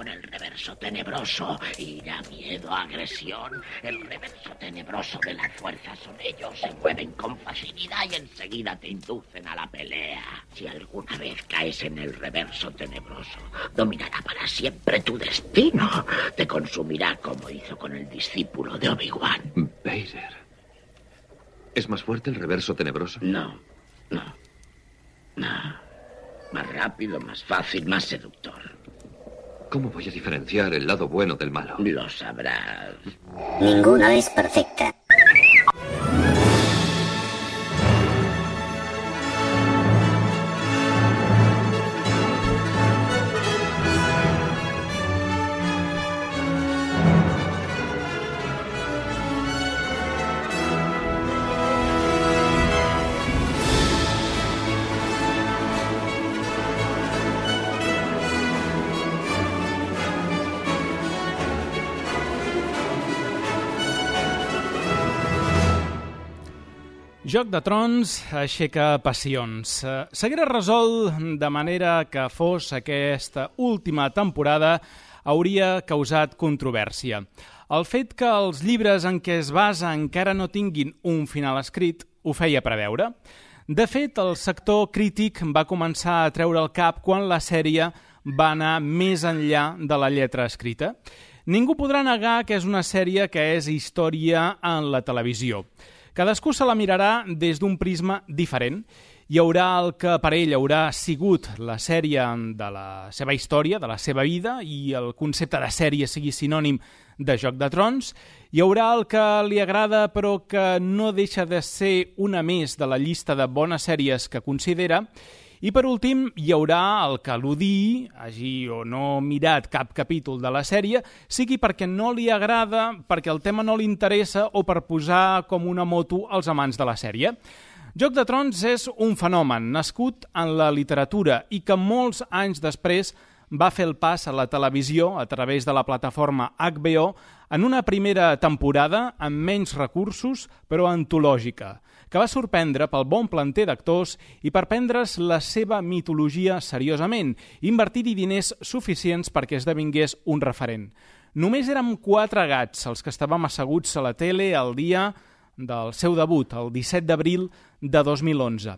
con el reverso tenebroso. Ira, miedo, agresión. El reverso tenebroso de la fuerza son ellos. Se mueven con facilidad y enseguida te inducen a la pelea. Si alguna vez caes en el reverso tenebroso, dominará para siempre tu destino. Te consumirá como hizo con el discípulo de Obi-Wan. Vader. ¿Es más fuerte el reverso tenebroso? No. Más rápido, más fácil, más seductor. ¿Cómo voy a diferenciar el lado bueno del malo? Lo sabrás. Ninguna es perfecta. Joc de Trons aixeca passions. S'haguera resolt de manera que fos aquesta última temporada hauria causat controvèrsia. El fet que els llibres en què es basa encara no tinguin un final escrit ho feia preveure. De fet, el sector crític va començar a treure el cap quan la sèrie va anar més enllà de la lletra escrita. Ningú podrà negar que és una sèrie que és història en la televisió. Cadascú se la mirarà des d'un prisma diferent. Hi haurà el que per ell haurà sigut la sèrie de la seva història, de la seva vida, i el concepte de sèrie sigui sinònim de Joc de Trons. Hi haurà el que li agrada però que no deixa de ser una més de la llista de bones sèries que considera. I per últim, hi haurà el que l'odiï, hagi o no mirat cap capítol de la sèrie, sigui perquè no li agrada, perquè el tema no li interessa o per posar com una moto als amants de la sèrie. Joc de Trons és un fenomen nascut en la literatura i que molts anys després va fer el pas a la televisió a través de la plataforma HBO en una primera temporada amb menys recursos però antològica, que va sorprendre pel bon planter d'actors i per prendre's la seva mitologia seriosament, invertir-hi diners suficients perquè esdevingués un referent. Només érem 4 gats els que estàvem asseguts a la tele el dia del seu debut, el 17 d'abril de 2011.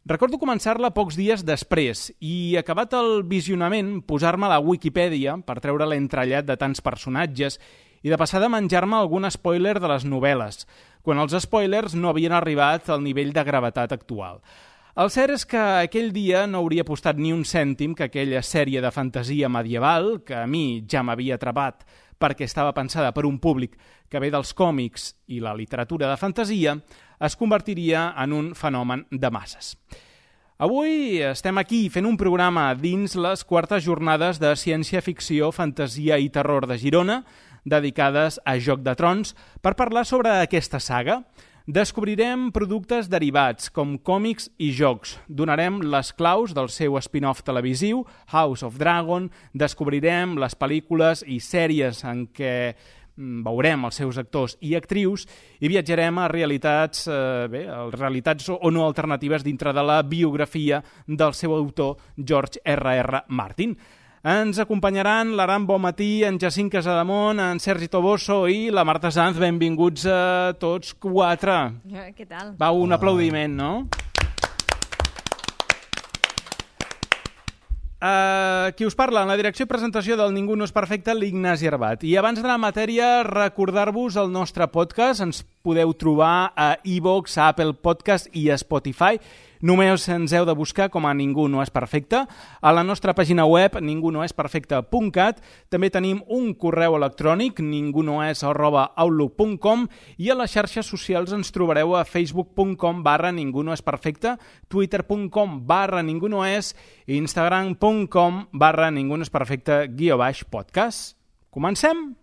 Recordo començar-la pocs dies després i, acabat el visionament, posar-me a la Wikipedia per treure l'entrellat de tants personatges i de passar de menjar-me algun spoiler de les novel·les, quan els spoilers no havien arribat al nivell de gravetat actual. El cert és que aquell dia no hauria apostat ni un cèntim que aquella sèrie de fantasia medieval, que a mi ja m'havia atrapat perquè estava pensada per un públic que ve dels còmics i la literatura de fantasia, es convertiria en un fenomen de masses. Avui estem aquí fent un programa dins les 4es jornades de ciència-ficció, fantasia i terror de Girona, dedicades a Joc de Trons, per parlar sobre aquesta saga. Descobrirem productes derivats, com còmics i jocs. Donarem les claus del seu spin-off televisiu, House of Dragon. Descobrirem les pel·lícules i sèries en què veurem els seus actors i actrius i viatjarem a realitats o no alternatives dintre de la biografia del seu autor, George R.R. Martin. Ens acompanyaran l'Aram Bonmatí, en Jacint Casademont, en Sergi Toboso i la Marta Sanz. Benvinguts a tots 4. Què tal? Va, un aplaudiment, no? Qui us parla? En la direcció i presentació del Ningú no és perfecte, l'Ignasi Arbat. I abans de la matèria, recordar-vos el nostre podcast. Ens podeu trobar a iVoox, a Apple Podcast i a Spotify. Només ens heu de buscar com a Ningú no és perfecte. A la nostra pàgina web, ningunoesperfecte.cat, també tenim un correu electrònic, ningunoes@outlook.com, i a les xarxes socials ens trobareu a facebook.com/ningunoesperfecte, twitter.com/ningunoes i instagram.com/ningunoesperfecte_podcast. Comencem?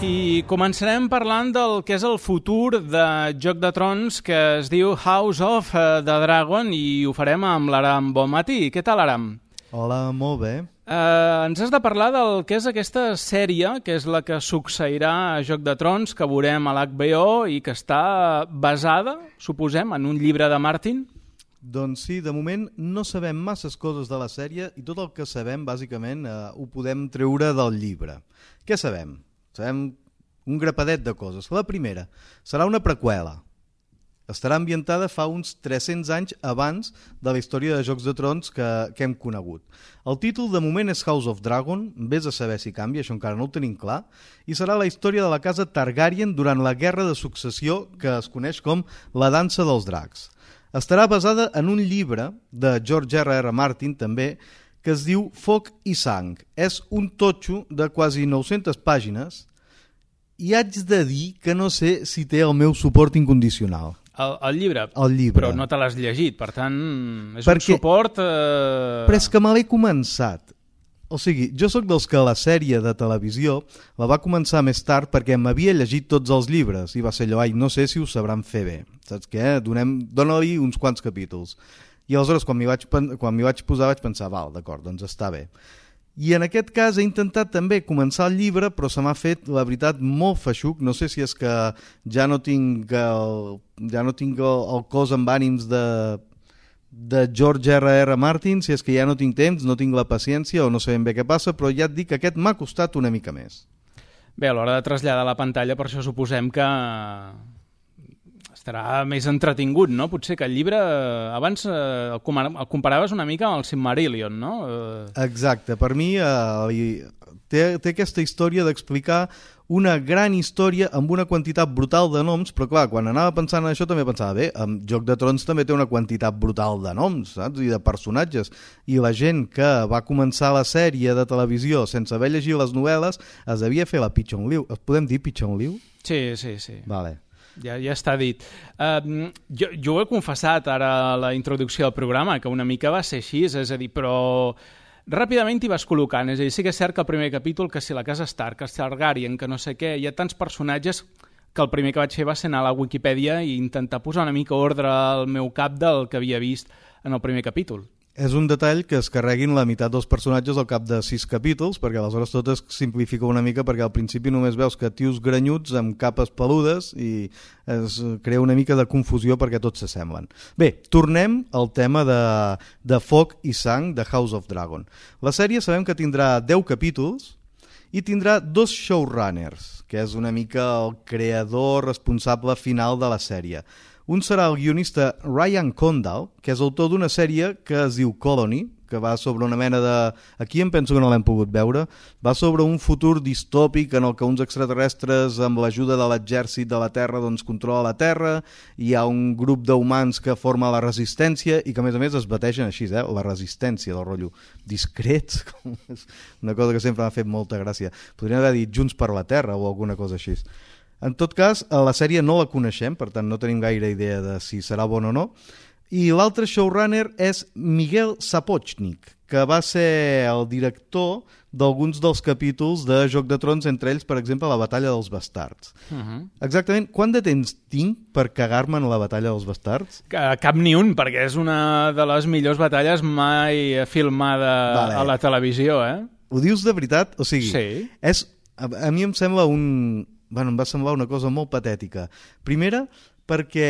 I començarem parlant del que és el futur de Joc de Trons que es diu House of the Dragon i ho farem amb l'Aram Bonmatí. Què tal, Aram? Hola, molt bé. Ens has de parlar del que és aquesta sèrie, que és la que succeirà a Joc de Trons, que veurem a l'HBO i que està basada, suposem, en un llibre de Martin? Doncs sí, de moment no sabem masses coses de la sèrie i tot el que sabem, bàsicament, ho podem treure del llibre. Què sabem? Sabem un grapadet de coses. La primera, serà una preqüela. Estarà ambientada fa uns 300 anys abans de la història de Jocs de Trons que hem conegut. El títol de moment és House of Dragon, vés a saber si canvia, això encara no ho tenim clar, i serà la història de la casa Targaryen durant la Guerra de Successió que es coneix com la Dansa dels Dracs. Estarà basada en un llibre de George R.R. Martin, també, que es diu Foc i Sang. És un totxo de quasi 900 pàgines i haig de dir que no sé si té el meu suport incondicional. El llibre? El llibre. Però no te l'has llegit, per tant, és un suport... Però és que me l'he començat. O sigui, jo sóc dels que la sèrie de televisió la va començar més tard perquè m'havia llegit tots els llibres i va ser allò, no sé si ho sabran fer bé. Saps què? Dóna-li uns quants capítols. I aleshores, quan m'hi vaig posar, vaig pensar, val, d'acord, doncs està bé. I en aquest cas he intentat també començar el llibre, però se m'ha fet, la veritat, molt feixuc. No sé si és que ja no tinc el cos amb ànims de George R.R. Martin, si és que ja no tinc temps, no tinc la paciència o no sé ben bé què passa, però ja et dic que aquest m'ha costat una mica més. Bé, a l'hora de traslladar a la pantalla, per això suposem que estarà més entretingut, no? Potser que el llibre abans el comparaves una mica amb el Silmarillion, no? Exacte, per mi té aquesta història d'explicar una gran història amb una quantitat brutal de noms, però clar, quan anava pensant en això també pensava, bé, en Joc de Trons també té una quantitat brutal de noms, saps? I de personatges, i la gent que va començar la sèrie de televisió sense haver llegit les novel·les es devia fer la Pigeon Liu. Podem dir Pigeon Liu? Sí. Vale. Ja està dit. Jo ho he confessat ara a la introducció del programa, que una mica va ser així, és a dir, però ràpidament t'hi vas col·locant. És a dir, sí que és cert que el primer capítol, que si la casa Stark, que si Targaryen, que no sé què, hi ha tants personatges que el primer que vaig fer va ser anar a la Wikipedia i intentar posar una mica ordre al meu cap del que havia vist en el primer capítol. És un detall que es carreguin la meitat dels personatges al cap de 6 capítols, perquè aleshores tot es simplifica una mica, perquè al principi només veus que tios grenyuts amb capes peludes i es crea una mica de confusió perquè tots s'assemblen. Bé, tornem al tema de Foc i Sang de House of Dragon. La sèrie sabem que tindrà 10 capítols i tindrà 2 showrunners, que és una mica el creador responsable final de la sèrie. Un serà el guionista Ryan Condal, que és autor d'una sèrie que es diu Colony, que va sobre una mena de... Aquí em penso que no l'hem pogut veure. Va sobre un futur distòpic en el que uns extraterrestres, amb l'ajuda de l'exèrcit de la Terra, doncs controla la Terra, i hi ha un grup d'humans que forma la resistència i que, a més, es bategen així, la resistència del rotllo. Discrets, és una cosa que sempre m'ha fet molta gràcia. Podríem haver dit Junts per la Terra o alguna cosa així. En tot cas, la sèrie no la coneixem, per tant no tenim gaire idea de si serà bona o no. I l'altre showrunner és Miguel Sapochnik, que va ser el director d'alguns dels capítols de Joc de Trons, entre ells, per exemple, la Batalla dels Bastards. Exactament, quant de temps tinc per cagar-me en la Batalla dels Bastards? Cap ni un, perquè és una de les millors batalles mai filmada a la televisió, Ho dius de veritat? O sigui, sí. A mi em sembla em va semblar una cosa molt patètica. Primera, perquè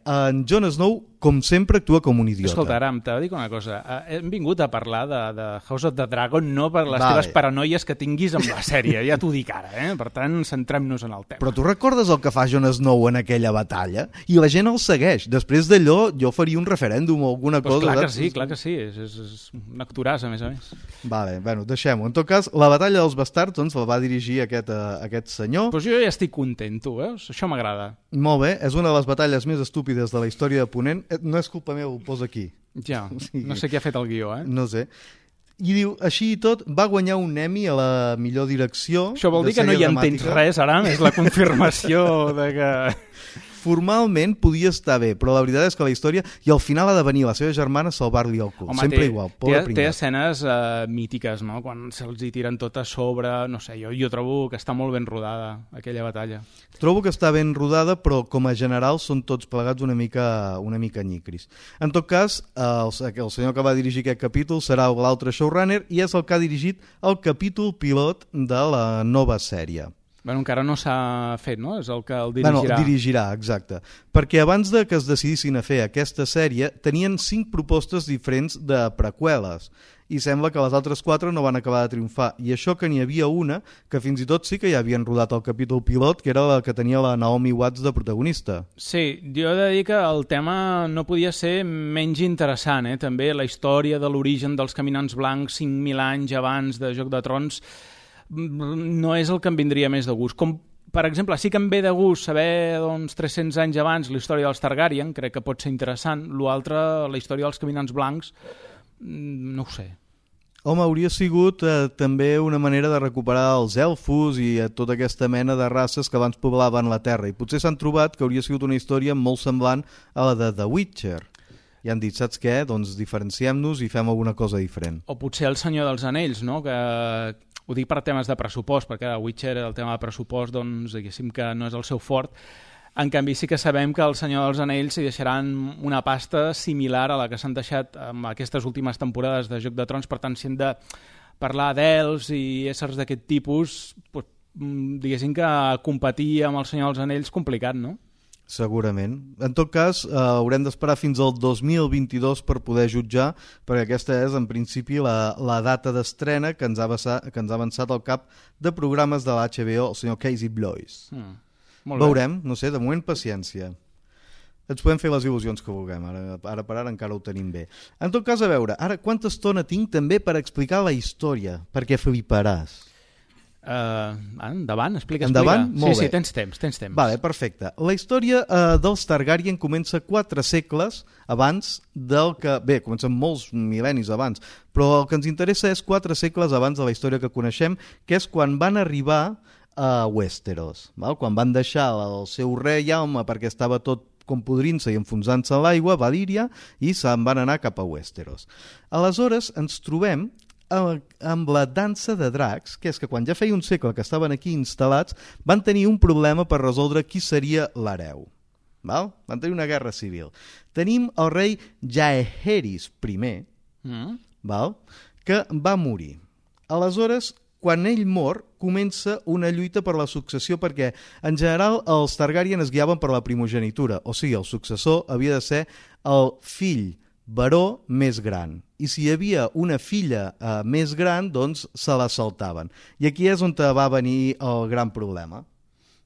en Jon Snow, com sempre, actua com un idiota. Escolta, Aram, t'ha de dir una cosa. Hem vingut a parlar de House of the Dragon no per les teves paranoies que tinguis amb la sèrie, ja t'ho dic ara, Per tant, centrem-nos en el tema. Però tu recordes el que fa Jon Snow en aquella batalla? I la gent el segueix. Després d'allò, jo faria un referèndum o alguna cosa. Clar que sí. És un actoràs, a més. Vale, deixem-ho. En tot cas, la Batalla dels Bastards doncs, la va dirigir aquest senyor. Però jo ja estic content, tu veus? Això m'agrada. Molt bé, és una de les batalles més estúpides de la història de Ponent. No és culpa meva, ho posa aquí. Ja, no sé qui ha fet el guió, No sé. I diu, així i tot, va guanyar un Emmy a la millor direcció. Això vol dir que no hi entens res, Aram? És la confirmació de que... formalment podia estar bé, però la veritat és que la història, i al final ha de venir la seva germana a salvar-li el cul. Sempre igual, pobre té pringat. escenes mítiques, no? Quan se'ls hi tiren tot a sobre, no sé, jo trobo que està molt ben rodada aquella batalla. Trobo que està ben rodada, però com a general són tots plegats una mica nyicris. En tot cas, el senyor que va dirigir aquest capítol serà l'altre showrunner i és el que ha dirigit el capítol pilot de la nova sèrie. Bueno, encara no s'ha fet, no? És el que el dirigirà. Bueno, dirigirà, exacte. Perquè abans de que es decidissin a fer aquesta sèrie, tenien 5 propostes diferents de preqüeles i sembla que les altres 4 no van acabar de triomfar. I això que n'hi havia una que fins i tot sí que ja havien rodat el capítol pilot, que era la que tenia la Naomi Watts de protagonista. Sí, jo he de dir que el tema no podia ser menys interessant, també la història de l'origen dels caminants blancs 5.000 anys abans de Joc de Trons no és el que em vindria més de gust. Com, per exemple, sí que em ve de gust saber 300 anys abans la història dels Targaryen, crec que pot ser interessant. L'altre, la història dels caminants blancs, no ho sé. Home, hauria sigut també una manera de recuperar els elfos i tota aquesta mena de races que abans poblaven la Terra. I potser s'han trobat que hauria sigut una història molt semblant a la de The Witcher. I han dit, saps què? Doncs diferenciem-nos i fem alguna cosa diferent. O potser el Senyor dels Anells, no? Que ho dic per temes de pressupost, perquè a Witcher el tema de pressupost, doncs, diguéssim que no és el seu fort. En canvi, sí que sabem que el Senyor dels Anells s'hi deixaran una pasta similar a la que s'han deixat amb aquestes últimes temporades de Joc de Trons. Per tant, si hem de parlar d'elfs i éssers d'aquest tipus, doncs, diguéssim que competir amb el Senyor dels Anells complicat, no? Segurament. En tot cas, haurem d'esperar fins al 2022 per poder jutjar, perquè aquesta és, en principi, la data d'estrena que ens ha avançat el cap de programes de l'HBO, el senyor Casey Bloys. Veurem, no sé, de moment paciència. Ens podem fer les il·lusions que vulguem, ara per ara encara ho tenim bé. En tot cas, a veure, ara quanta estona tinc també per explicar la història, perquè fliparàs. Endavant, explica. Endavant? Molt sí, bé. tens temps. Vale, perfecte. La història dels Targaryen comença 4 segles abans del que... Bé, comencen molts mil·lennis abans, però el que ens interessa és 4 segles abans de la història que coneixem, que és quan van arribar a Westeros, val? Quan van deixar el seu rei Jaume perquè estava tot com podrint-se i enfonsant-se a l'aigua, Valíria, i se'n van anar cap a Westeros. Aleshores ens trobem amb la dansa de dracs, que és que quan ja feia un segle que estaven aquí instal·lats, van tenir un problema per resoldre qui seria l'hereu. Van tenir una guerra civil. Tenim el rei Jaehaerys I, que va morir. Aleshores, quan ell mor, comença una lluita per la successió perquè, en general, els Targaryen es guiaven per la primogenitura, o sigui, el successor havia de ser el fill baró més gran. I si hi havia una filla més gran, doncs se la saltaven. I aquí és on va venir el gran problema,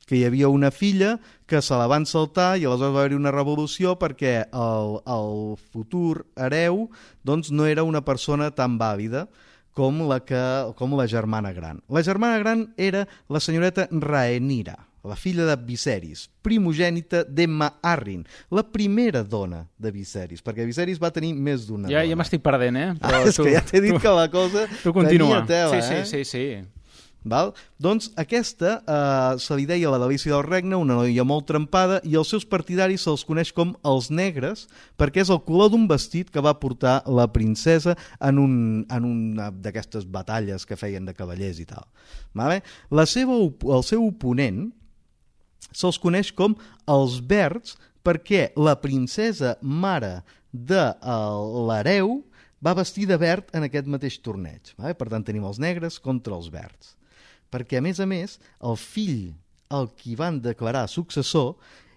que hi havia una filla que se la van saltar i aleshores va haver-hi una revolució perquè el futur hereu doncs, no era una persona tan vàlida com la germana gran. La germana gran era la senyoreta Rhaenyra, la filla de Viserys, primogènita d'Emma Arryn, la primera dona de Viserys, perquè Viserys va tenir més d'una dona. Ja m'estic perdent, Però és que ja t'he dit que la cosa tenia tela. Sí. Val? Doncs aquesta se li deia la delícia del regne, una noia molt trempada, i els seus partidaris se'ls coneix com els negres, perquè és el color d'un vestit que va portar la princesa en una d'aquestes batalles que feien de cavallers i tal. Vale? El seu oponent se'ls coneix com els verds perquè la princesa mare de l'hereu va vestir de verd en aquest mateix torneig. Vale? Per tant, tenim els negres contra els verds. Perquè, a més, el fill al qui van declarar successor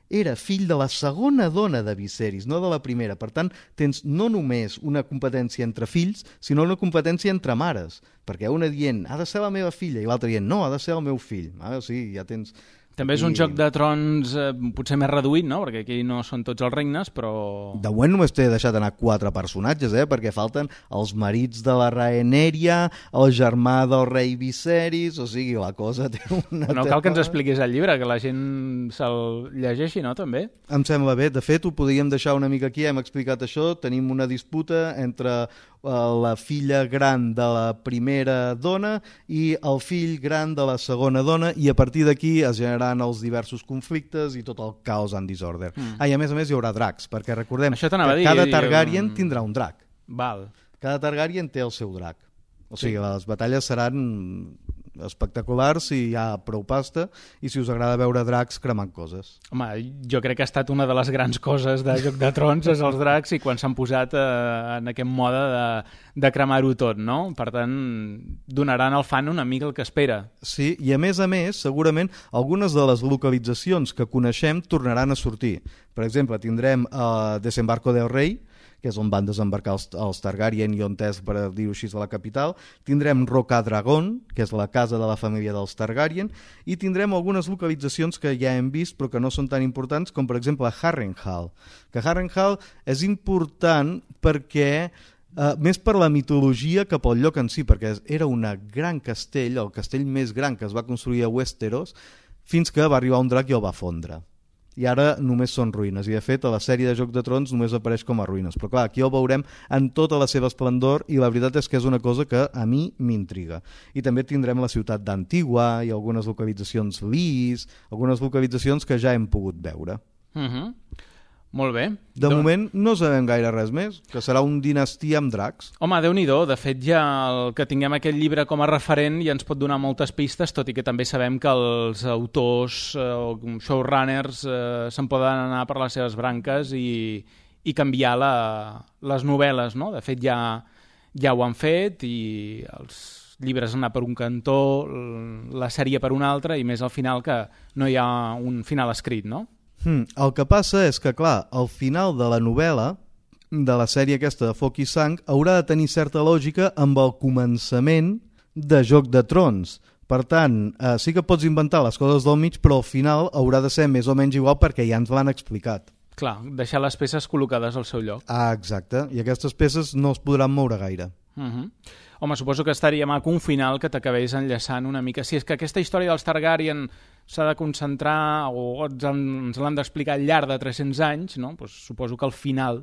era fill de la segona dona de Viserys, no de la primera. Per tant, tens no només una competència entre fills, sinó una competència entre mares. Perquè una dient, ha de ser la meva filla, i l'altra dient, no, ha de ser el meu fill. O sigui, ja tens... També és un Joc de Trons potser més reduït, no? Perquè aquí no són tots els regnes, però... De moment només t'he deixat anar 4 personatges, perquè falten els marits de la Rhaenyra, el germà del rei Viserys, o sigui, la cosa té una... No cal que ens expliquis el llibre, que la gent se'l llegeixi, no? També? Em sembla bé. De fet, ho podríem deixar una mica aquí, hem explicat això, tenim una disputa entre la filla gran de la primera dona i el fill gran de la segona dona, i a partir d'aquí es generaran els diversos conflictes i tot el caos and disorder. I a més hi haurà dracs, perquè recordem que cada Targaryen tindrà un drac. Val. Cada Targaryen té el seu drac. O sigui, les batalles seran espectaculars si hi ha prou pasta i si us agrada veure dracs cremant coses. Home, jo crec que ha estat una de les grans coses de Joc de Trons, és els dracs, i quan s'han posat en aquest mode de cremar-ho tot, no? Per tant, donaran al fan una mica el que espera. Sí, i a més, segurament, algunes de les localitzacions que coneixem tornaran a sortir. Per exemple, tindrem Desembarco del Rei, que és on van desembarcar els Targaryen i on és, per dir-ho així, de la capital. Tindrem Rocadragón, que és la casa de la família dels Targaryen, i tindrem algunes localitzacions que ja hem vist però que no són tan importants, com per exemple Harrenhal. Que Harrenhal és important perquè més per la mitologia que pel lloc en si, perquè era un gran castell, el castell més gran que es va construir a Westeros, fins que va arribar un drac i el va fondre. I ara només són ruïnes, i de fet a la sèrie de Joc de Trons només apareix com a ruïnes, però clar, aquí el veurem en tota la seva esplendor i la veritat és que és una cosa que a mi m'intriga. I també tindrem la ciutat d'Antigua i algunes localitzacions Lys, algunes localitzacions que ja hem pogut veure. Molt bé. De moment no sabem gaire res més, que serà un dinastia amb dracs. Home, Déu-n'hi-do, de fet ja el que tinguem aquest llibre com a referent ja ens pot donar moltes pistes, tot i que també sabem que els autors o showrunners se'n poden anar per les seves branques i canviar les novel·les, no? De fet ja ho han fet i els llibres han anat per un cantó, la sèrie per un altre, i més al final que no hi ha un final escrit, no? El que passa és que, clar, al final de la novel·la, de la sèrie aquesta de Foc i Sang, haurà de tenir certa lògica amb el començament de Joc de Trons. Per tant, sí que pots inventar les coses del mig, però al final haurà de ser més o menys igual perquè ja ens l'han explicat. Clar, deixar les peces col·locades al seu lloc. Exacte, i aquestes peces no es podran moure gaire. Home, suposo que estaria maco un final que t'acabés enllaçant una mica. Si és que aquesta història dels Targaryen s'ha de concentrar o ens l'han d'explicar al llarg de 300 anys, no? Pues suposo que al final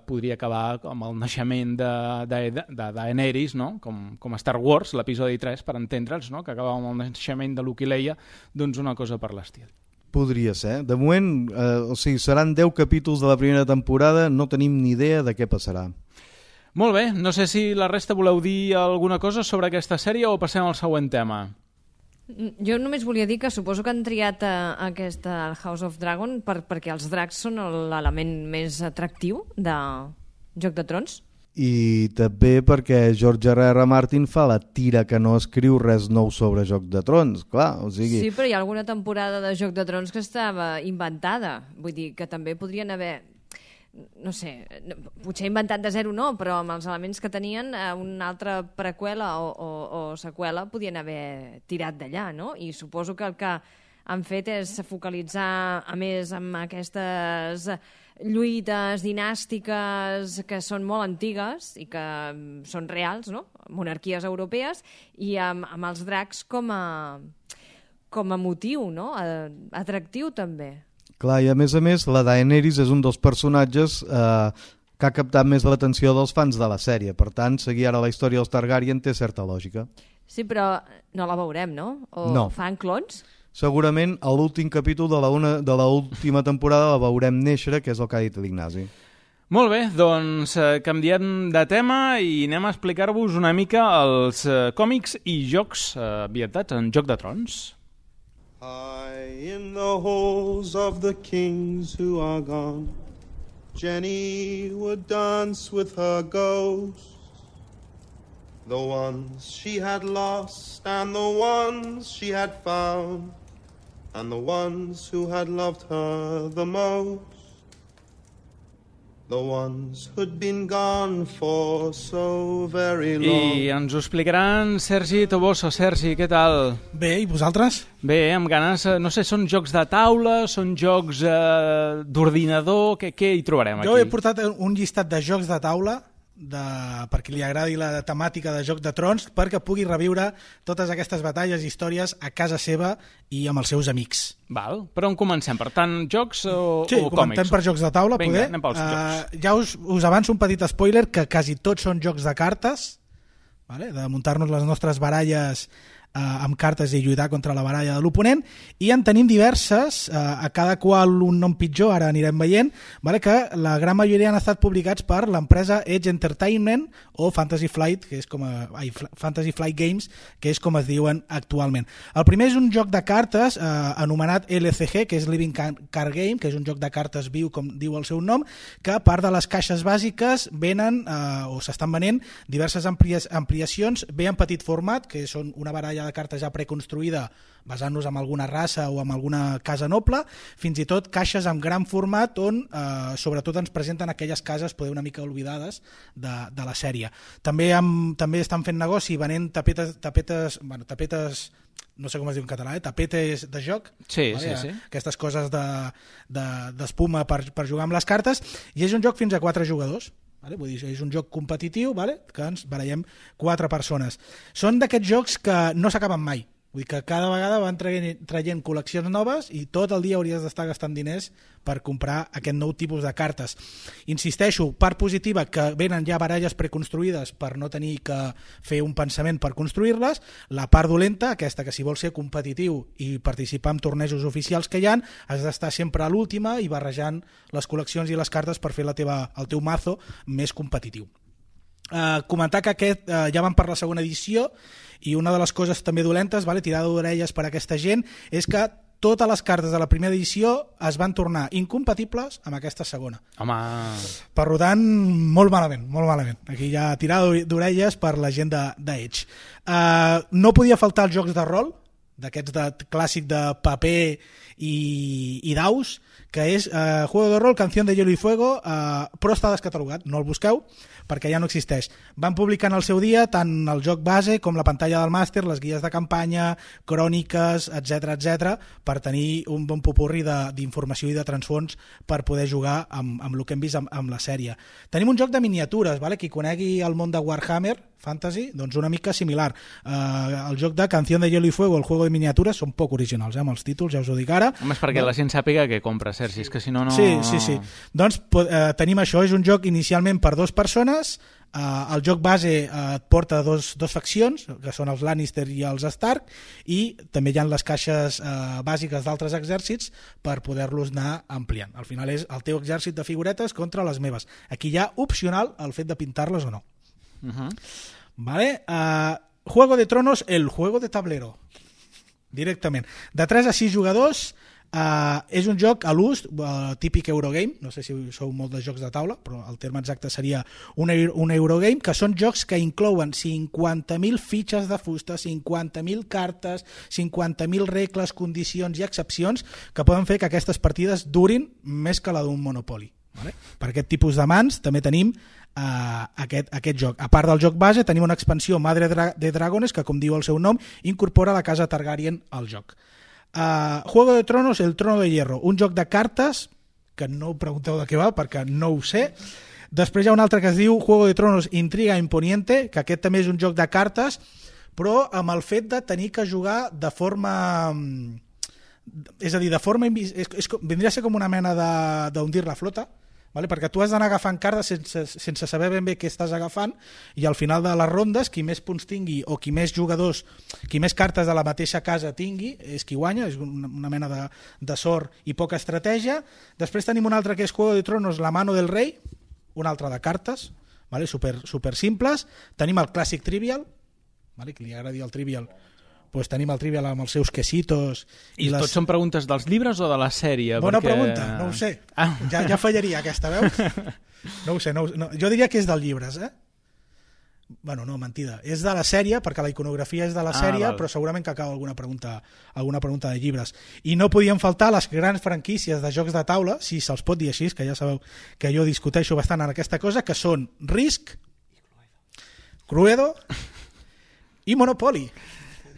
podria acabar amb el naixement de Daenerys, no? Com a Star Wars, l'episodi 3, per entendre'ls, no? Que acaba amb el naixement de Luke i Leia, doncs una cosa per l'estil. Podria ser. De moment, seran 10 capítols de la primera temporada, no tenim ni idea de què passarà. Molt bé, no sé si la resta voleu dir alguna cosa sobre aquesta sèrie o passem al següent tema. Jo només volia dir que suposo que han triat aquesta House of Dragon perquè els dracs són l'element més atractiu de Joc de Trons. I també perquè George R.R. Martin fa la tira que no escriu res nou sobre Joc de Trons, clar, o sigui... Sí, però hi ha alguna temporada de Joc de Trons que estava inventada, vull dir que també podrien haver... no sé, potser inventat de zero no, però amb els elements que tenien una altra preqüela o seqüela podien haver tirat d'allà, no? I suposo que el que han fet és focalitzar a més amb aquestes lluites dinàstiques que són molt antigues i que són reals, no? Monarquies europees, i amb els dracs com a motiu, no? Atractiu també. Clar, i a més, la Daenerys és un dels personatges que ha captat més l'atenció dels fans de la sèrie. Per tant, seguir ara la història dels Targaryen té certa lògica. Sí, però no la veurem, no? O no. Fan clones? Segurament a l'últim capítol de l'última temporada la veurem néixer, que és el que ha dit l'Ignasi. Molt bé, doncs canviem de tema i anem a explicar-vos una mica els còmics i jocs ambientats en Joc de Trons. High in the halls of the kings who are gone, Jenny would dance with her ghosts, the ones she had lost and the ones she had found, and the ones who had loved her the most, the ones who'd been gone for so very long. I ens ho explicaran Sergi Toboso. Sergi, què tal? Bé, i vosaltres? Bé, amb ganes, no sé, són jocs de taula, són jocs d'ordinador, què hi trobarem aquí? Jo he portat un llistat de jocs de taula per qui li agradi la temàtica de Joc de Trons, perquè pugui reviure totes aquestes batalles i històries a casa seva i amb els seus amics. Val. Per on comencem? Per tant, jocs o Sí, còmics? comentem per jocs de taula. Vinga, poder. anem pels jocs. Ja us avanço un petit spoiler, que quasi tots són jocs de cartes, vale? De muntar-nos les nostres baralles amb cartes i lluitar contra la baralla de l'oponent, i en tenim diverses, a cada qual un nom pitjor, ara anirem veient, vale? Que la gran majoria han estat publicats per l'empresa Edge Entertainment o Fantasy Flight, que és Fantasy Flight Games, que és com es diuen actualment. El primer és un joc de cartes anomenat LCG, que és Living Card Game, que és un joc de cartes viu, com diu el seu nom, que a part de les caixes bàsiques venen, o s'estan venent, diverses ampliacions, ve en petit format, que són una baralla de cartes ja preconstruïda basant-nos en alguna raça o en alguna casa noble, fins i tot caixes amb gran format on sobretot ens presenten aquelles cases poder una mica oblidades de la sèrie. També estan fent negoci venent tapetes, no sé com es diu en català, tapetes de joc, sí, vale? Sí. Aquestes coses d'espuma per jugar amb les cartes, i és un joc fins a 4 jugadors. Vale? Vull dir, és un joc competitiu, vale? Que ens barallem 4 persones. Són d'aquests jocs que no s'acaben mai. Vull dir que cada vegada van traient col·leccions noves i tot el dia hauries d'estar gastant diners per comprar aquest nou tipus de cartes. Insisteixo, part positiva, que venen ja baralles preconstruïdes per no tenir que fer un pensament per construir-les. La part dolenta, aquesta, que si vols ser competitiu i participar en tornejos oficials que hi ha, has d'estar sempre a l'última i barrejant les col·leccions i les cartes per fer el teu mazo més competitiu. Comentar que aquest ja van per la segona edició, i una de les coses també dolentes, vale, tirada d'orelles per a aquesta gent, és que totes les cartes de la primera edició es van tornar incompatibles amb aquesta segona. Home... Per tant, molt malament, molt malament. Aquí hi ha tirada d'orelles per la gent d'Edge. No podia faltar els jocs de rol, d'aquests clàssic de paper i daus, que és Juego de Rol, Canción de Hielo y Fuego, però està descatalogat, no el busqueu, perquè ja no existeix. Van publicar en el seu dia tant el joc base com la pantalla del màster, les guies de campanya, cròniques, etc, per tenir un bon popurri d'informació i de transfons per poder jugar amb el que hem vist amb la sèrie. Tenim un joc de miniatures, vale? Qui conegui el món de Warhammer Fantasy, doncs una mica similar. El joc de Canción de Hielo y Fuego, el juego de miniatures, són poc originals, amb els títols, ja us ho dic ara. Home, és perquè la gent sàpiga que compra, Sergi, és que si no... Sí. Doncs tenim això, és un joc inicialment per 2 persones. El joc base et porta dos faccions, que són els Lannister i els Stark, i també hi ha les caixes bàsiques d'altres exèrcits per poder-los anar ampliant. Al final és el teu exèrcit de figuretes contra les meves. Aquí hi ha opcional el fet de pintar-les o no. Vale? Juego de Tronos, el juego de tablero, directament. De 3 a 6 jugadors. És un joc a l'ús, típic Eurogame, no sé si sou molt de jocs de taula, però el terme exacte seria un Eurogame, que són jocs que inclouen 50.000 fitxes de fusta, 50.000 cartes, 50.000 regles, condicions i excepcions que poden fer que aquestes partides durin més que la d'un Monopoly. Vale? Per aquest tipus de mans també tenim aquest joc. A part del joc base tenim una expansió Madre de Dragones que, com diu el seu nom, incorpora la casa Targaryen al joc. Juego de Tronos, el Trono de Hierro, un joc de cartes que no ho pregunteu de què va perquè no ho sé. Després hi ha un altre que es diu Juego de Tronos, Intriga Imponiente, que aquest també és un joc de cartes, però amb el fet de tenir que jugar de forma... És a dir, de forma... Vindria a ser com una mena d'hundir la flota, vale? Perquè tu has d'anar agafant cartes sense saber ben bé què estàs agafant, i al final de les rondes qui més punts tingui o qui més jugadors, qui més cartes de la mateixa casa tingui és qui guanya, és una mena de sort i poca estratègia. Després tenim un altre que és Juego de Tronos, La mano del rei, un altre de cartes, vale? super simples. Tenim el clàssic Trivial, vale? Que li agradi el Trivial, pues tenim el Trivial amb els seus quesitos. I tots són preguntes dels llibres o de la sèrie? Bona pregunta, no ho sé. Ja fallaria aquesta, veus? No ho sé. No. Jo diria que és dels llibres, Bueno, no, mentida. És de la sèrie, perquè la iconografia és de la sèrie, però segurament que acaba alguna pregunta de llibres. I no podien faltar les grans franquícies de jocs de taula, si se'ls pot dir així, que ja sabeu que jo discuteixo bastant en aquesta cosa, que són Risk, Cluedo i Monopoly.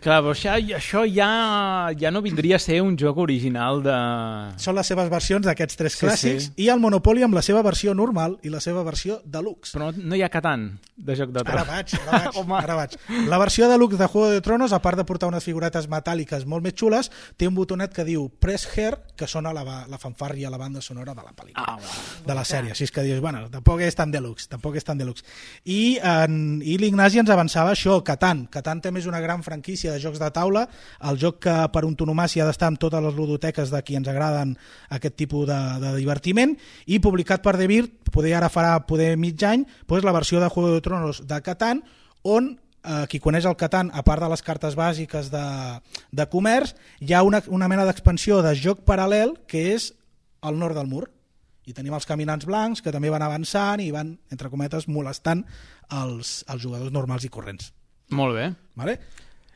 Clar, però això ja no vindria a ser un joc original de... Són les seves versions d'aquests 3 clàssics, sí. i el Monopoly amb la seva versió normal i la seva versió deluxe. Però no hi ha Catan de Joc de Trons. Ara vaig. La versió deluxe de Juego de Tronos, a part de portar unes figuretes metàl·liques molt més xules, té un botonet que diu Press Here, que sona la fanfàrria, la banda sonora de la pel·lícula, de la sèrie. Així és que dius, bueno, tampoc és tan deluxe. I l'Ignasi ens avançava això, Catan. Catan també és una gran franquícia de jocs de taula, el joc que per antonomàsia ha d'estar en totes les ludoteques de qui ens agraden aquest tipus de divertiment, i publicat per Devir, ara farà mig any, doncs la versió de Juego de Tronos de Catan, on qui coneix el Catan, a part de les cartes bàsiques de comerç, hi ha una mena d'expansió de joc paral·lel que és el nord del mur, i tenim els caminants blancs que també van avançant i van, entre cometes, molestant els jugadors normals i corrents. Molt bé. Vale?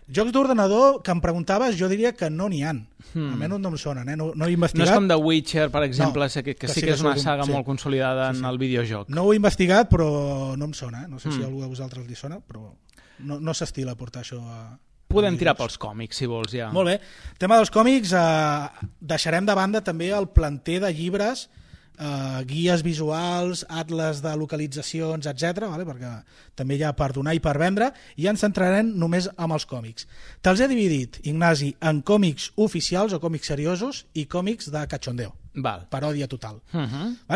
Jocs d'ordenador que em preguntaves, jo diria que no n'hi ha. Almenys no em sonen, no he investigat. No és com The Witcher, per exemple, no, que sí que és una saga molt consolidada en el videojoc. No ho he investigat, però no em sona. No sé si a algú de vosaltres li sona, però no s'estila portar això a... Podem tirar pels còmics, si vols, ja. Molt bé. El tema dels còmics, deixarem de banda també el planter de llibres, guies visuals, atles de localitzacions, etc, perquè també hi ha per donar i per vendre, i ens centrarem només amb els còmics. Te'ls he dividit, Ignasi, en còmics oficials o còmics seriosos i còmics de cachondeo. Val. Paròdia total.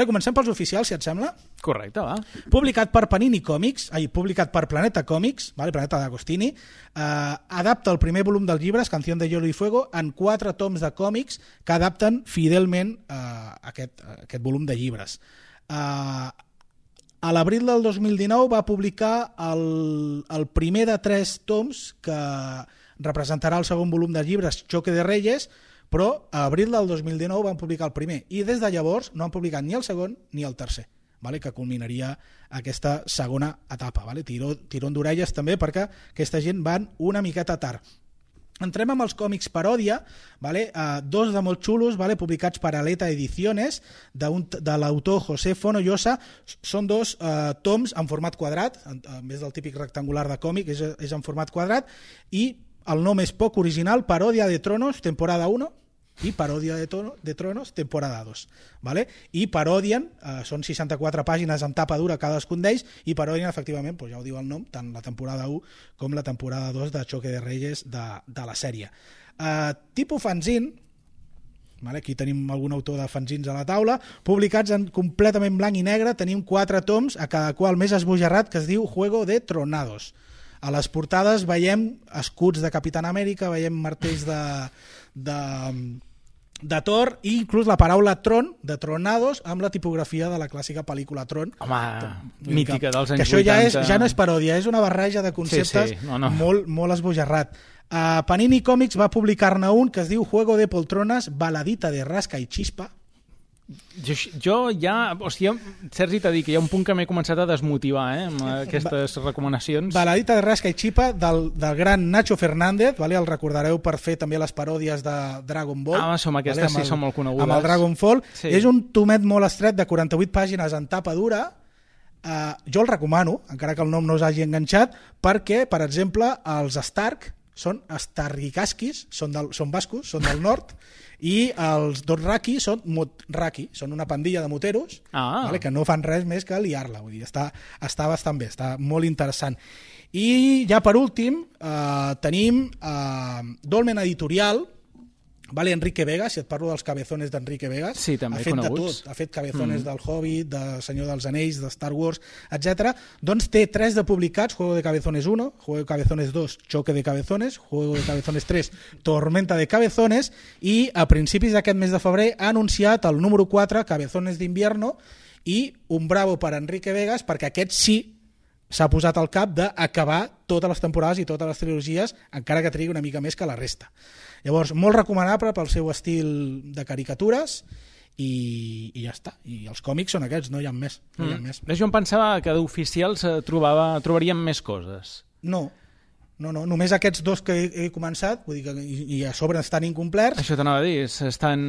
Comencem pels oficials, si et sembla. Correcte, va. Publicat per Panini Comics, publicat per Planeta Comics, Planeta d'Agostini, adapta el primer volum dels llibres, Canción de Hielo y Fuego, en 4 toms de còmics que adapten fidelment aquest volum de llibres. A l'abril del 2019 va publicar el primer de 3 toms que representarà el segon volum de llibres, Choque de Reyes, però a abril del 2019 van publicar el primer, i des de llavors no han publicat ni el segon ni el tercer, que culminaria aquesta segona etapa. Tirón d'orelles també, perquè aquesta gent van una miqueta tard. Entrem amb els còmics paròdia, 2 de molt xulos, publicats per Aleta Ediciones, de l'autor José Fonollosa. Són 2 toms en format quadrat, en vez del típic rectangular de còmic, és en format quadrat, i el nom és poc original, Paròdia de Tronos, temporada 1, i Paròdia de Tronos, temporada 2. I parodien, són 64 pàgines amb tapa dura cadascun d'ells, i parodien efectivament, ja ho diu el nom, tant la temporada 1 com la temporada 2 de Choque de Reyes de la sèrie. Tipus fanzine, aquí tenim algun autor de fanzins a la taula, publicats en completament blanc i negre, tenim 4 toms, a cada qual més esbojarrat, que es diu Juego de Tronados. A les portades veiem escuts de Capitán Amèrica, veiem martells de Thor, i inclús la paraula tron, de Tronados, amb la tipografia de la clàssica pel·lícula Tron. Home, mítica dels anys 80. Que això ja no és paròdia, és una barreja de conceptes molt esbojarrat. Panini Comics va publicar-ne un que es diu Juego de Poltronas, baladita de rasca i chispa. Jo ja... Sergi t'ha dit que hi ha un punt que m'he començat a desmotivar amb aquestes recomanacions. Baladita de rasca i chispa del gran Nacho Fernández, el recordareu per fer també les paròdies de Dragon Ball. Aquestes sí són molt conegudes. Amb el Dragon Ball. És un tomet molt estret de 48 pàgines en tapa dura. Jo el recomano, encara que el nom no us hagi enganxat, perquè, per exemple, els Stark són Starrikaskis, són bascos, són del nord, i els Dothraki són Motraki, són una pandilla de moteros que no fan res més que liar-la. Vull dir, està bastant bé, està molt interessant. I ja per últim tenim Dolmen Editorial, Enrique Vegas, si et parlo dels cabezones d'Enrique Vegas, sí, també ha fet coneguts. de tot, ha fet cabezones del Hobbit, de Senyor dels Anells, de Star Wars, etc. Doncs té 3 de publicats, Juego de Cabezones 1, Juego de Cabezones 2, Choque de Cabezones, Juego de Cabezones 3, Tormenta de Cabezones, i a principis d'aquest mes de febrer ha anunciat el número 4, Cabezones d'Invierno, i un bravo per Enrique Vegas, perquè aquest sí s'ha posat al cap d'acabar totes les temporades i totes les trilogies, encara que trigui una mica més que la resta. Llavors, molt recomanable pel seu estil de caricatures, i ja està. I els còmics són aquests, no hi ha més. Jo em pensava que d'oficials trobaríem més coses. No, No, només aquests dos que he començat, vull dir que, i a sobre estan incomplerts. Això t'anava a dir, estan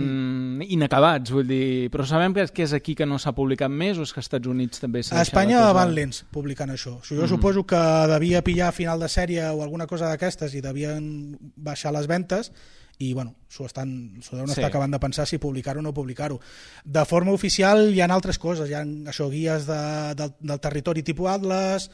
inacabats, vull dir, però sabem que és aquí que no s'ha publicat més o és que als Estats Units també s'ha A deixat Espanya la cosa... van lents publicant això. Jo suposo que devia pillar final de sèrie o alguna cosa d'aquestes i devien baixar les ventes i bueno, s'ho deuen estar acabant de pensar si publicar-ho o no publicar-ho. De forma oficial hi ha altres coses, hi ha això, guies del territori tipus Atlas,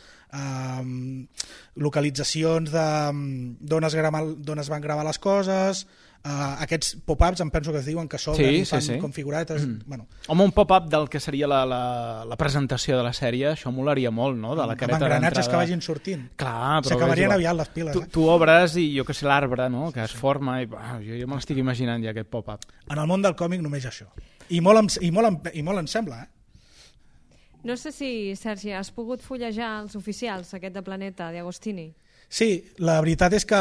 localitzacions d'on es van gravar les coses, aquests pop-ups em penso que es diuen que s'obren i fan com figuretes. Bueno. Home, un pop-up del que seria la presentació de la sèrie, això molaria molt, no? De la careta d'entrada. Amb engranatges que vagin sortint. Clar, però s'acabarien aviat les piles. Tu obres i jo que sé l'arbre, no? Que es forma i jo me l'estic imaginant ja aquest pop-up. En el món del còmic només això. I molt em sembla, No sé si, Sergi, has pogut fullejar els oficials, aquest de Planeta, d'Agostini? Sí, la veritat és que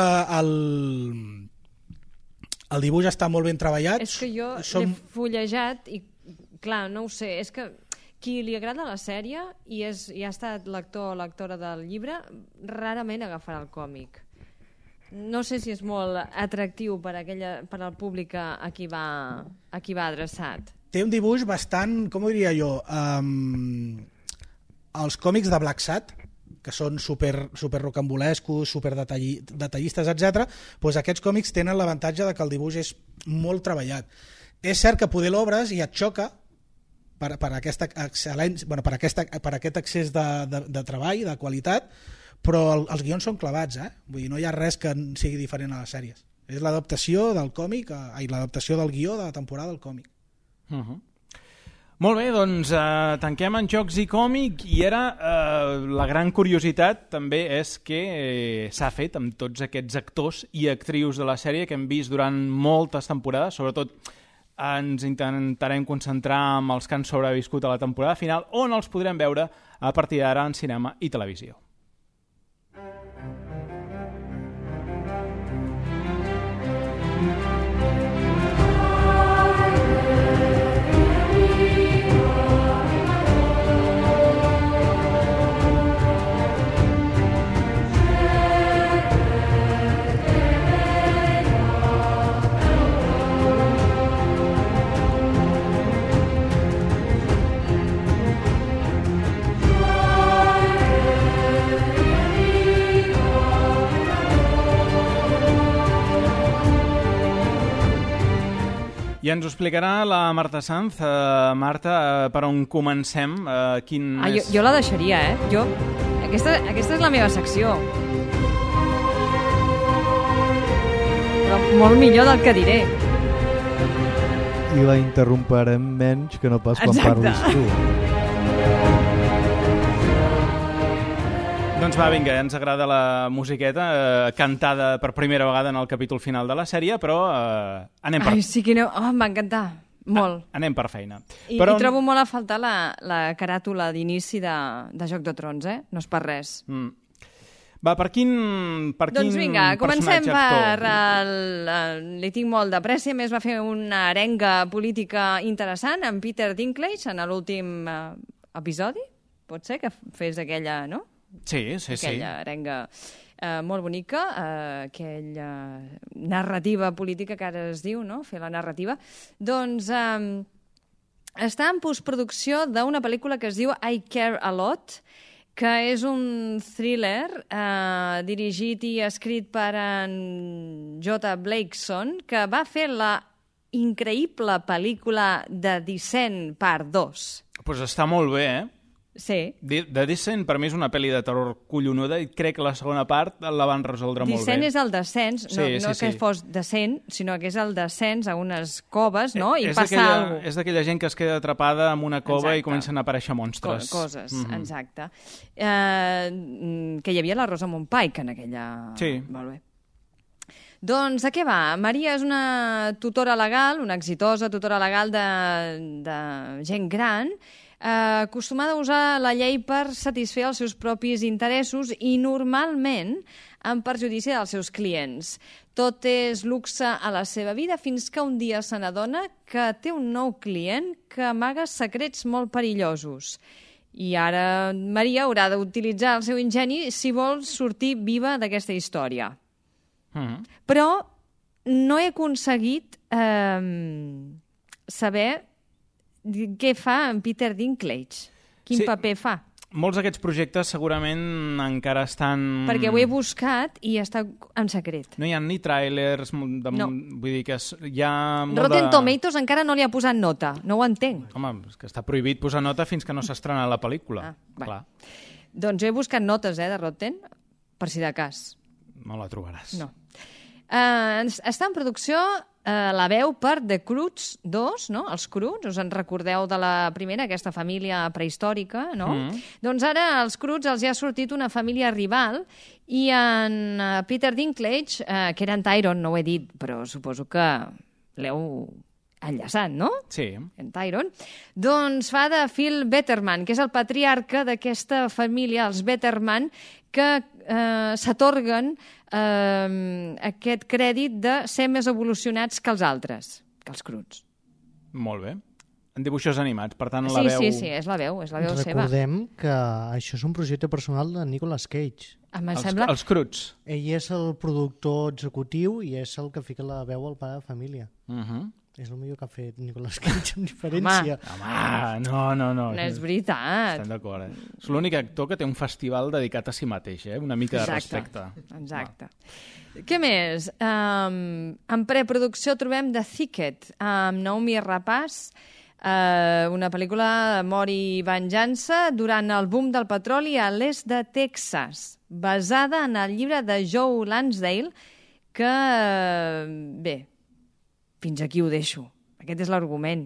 el dibuix està molt ben treballat. És que jo l'he fullejat i, clar, no ho sé, és que qui li agrada la sèrie i ha estat lector o lectora del llibre, rarament agafarà el còmic. No sé si és molt atractiu per al públic a qui va adreçat. Té un dibuix bastant, com ho diria jo, els còmics de Black Sat, que són super rocambolescos, super detallistes, etc. Doncs aquests còmics tenen l'avantatge de que el dibuix és molt treballat. És cert que poder l'obres i et xoca per aquest excés de treball, de qualitat, però els guions són clavats, vull dir, no hi ha res que sigui diferent a les sèries. És l'adaptació del còmic, l'adaptació del guió de la temporada del còmic. Molt bé, doncs tanquem en jocs i còmic i ara la gran curiositat també és que s'ha fet amb tots aquests actors i actrius de la sèrie que hem vist durant moltes temporades, sobretot ens intentarem concentrar en els que han sobreviscut a la temporada final, on els podrem veure a partir d'ara en cinema i televisió. I ens ho explicarà la Marta Sanz. Marta, per on comencem? Jo la deixaria, Aquesta és la meva secció. Però molt millor del que diré. I la interromperem menys que no pas quan parlis tu. Doncs va, vinga, ens agrada la musiqueta cantada per primera vegada en el capítol final de la sèrie, però anem per... Ai, sí que no... Oh, m'ha encantat. Molt. Anem per feina. I trobo molt a faltar la caràtula d'inici de Joc de Trons, No és per res. Va, per quin doncs vinga, comencem per... Li tinc molt de pressa, més va fer una arenga política interessant amb Peter Dinklage en l'últim episodi. Pot ser que fes aquella, no? Sí. Aquella arenga molt bonica, aquella narrativa política que ara es diu, no? Fer la narrativa. Doncs està en postproducció d'una pel·lícula que es diu I Care a Lot, que és un thriller dirigit i escrit per en J. Blakeson, que va fer la increïble pel·lícula de Descent Part 2. Doncs està molt bé, Sí. The Descent per mi és una pel·li de terror collonuda i crec que la segona part la van resoldre molt bé. Descent és el descens, no que fos descent, sinó que és el descens a unes coves, no? I passa alguna cosa. És d'aquella gent que es queda atrapada en una cova i comencen a aparèixer monstres. Coses, exacte. Que hi havia la Rosa Pike en aquella... Sí. Molt bé. Doncs a què va? Maria és una tutora legal, una exitosa tutora legal de gent gran, acostumada a usar la llei per satisfer els seus propis interessos i normalment en perjudici dels seus clients. Tot és luxe a la seva vida fins que un dia se n'adona que té un nou client que amaga secrets molt perillosos. I ara Maria haurà d'utilitzar el seu ingeni si vol sortir viva d'aquesta història. Però no he aconseguit saber què fa en Peter Dinklage. Quin paper fa? Molts d'aquests projectes segurament encara estan... Perquè ho he buscat i està en secret. No hi ha ni tràilers, No. Vull dir que hi ha... Rotten Tomatoes encara no li ha posat nota, no ho entenc. Home, és que està prohibit posar nota fins que no s'estrena la pel·lícula. Clar. Doncs he buscat notes de Rotten, per si de cas. No la trobaràs. No. Està en producció la veu per The Croods 2, no? Els Croods, us en recordeu de la primera, aquesta família prehistòrica, no? Doncs ara als Croods els hi ha sortit una família rival i en Peter Dinklage, que era en Tyrone, no ho he dit, però suposo que l'heu enllaçat, no? Sí. En Tyrone. Doncs fa de Phil Betterman, que és el patriarca d'aquesta família, els Betterman, que s'atorguen aquest crèdit de ser més evolucionats que els altres, que els Croods. Molt bé. En dibuixos animats, per tant la Sí, veu... sí, és la veu seva. Recordem que això és un projecte personal de Nicolas Cage. Sembla... Els Croods. Ell és el productor executiu i és el que fica la veu al pare de família. És el millor que ha fet Nicolas Cage, amb diferència. Home, no. No és veritat. Estem d'acord, És l'únic actor que té un festival dedicat a si mateix, Una mica de respecte. Exacte. Què més? En preproducció trobem The Thicket, amb Naomi Rapace, una pel·lícula d'amor i venjança durant el boom del petroli a l'est de Texas, basada en el llibre de Joe Lansdale, que, bé, fins aquí ho deixo. Aquest és l'argument.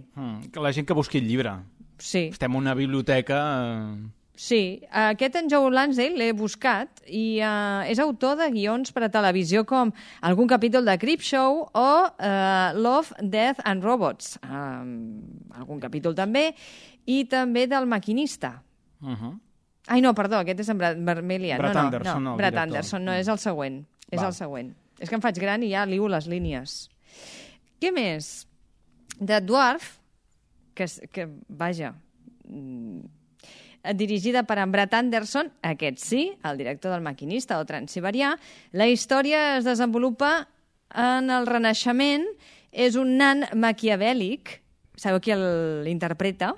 Que la gent que busqui el llibre. Sí. Estem en una biblioteca... Sí, aquest en Joe Lansdale l'he buscat i és autor de guions per a televisió com algun capítol de Creepshow o Love, Death and Robots. Algun capítol també. I també del Maquinista. Ai, no, perdó, aquest és en Vermelian. Brad Anderson, Brad Anderson, no, és el següent. És el següent. És que em faig gran i ja liu les línies. Què més? The Dwarf, que vaja, dirigida per en Brad Anderson, aquest sí, el director del Maquinista o Transsiberià. La història es desenvolupa en el Renaixement, és un nan maquiavèlic, sabeu qui l'interpreta?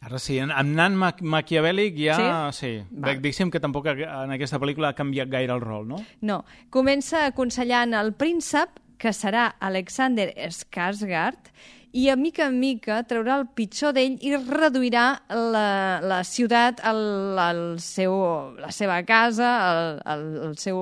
Ara sí, amb nan maquiavèlic ja... Sí. Diguéssim que tampoc en aquesta pel·lícula ha canviat gaire el rol, no? No. Comença aconsellant el príncep, que serà Alexander Skarsgård, i a mica en mica traurà el pitjor d'ell i reduirà la ciutat, la seva casa, el seu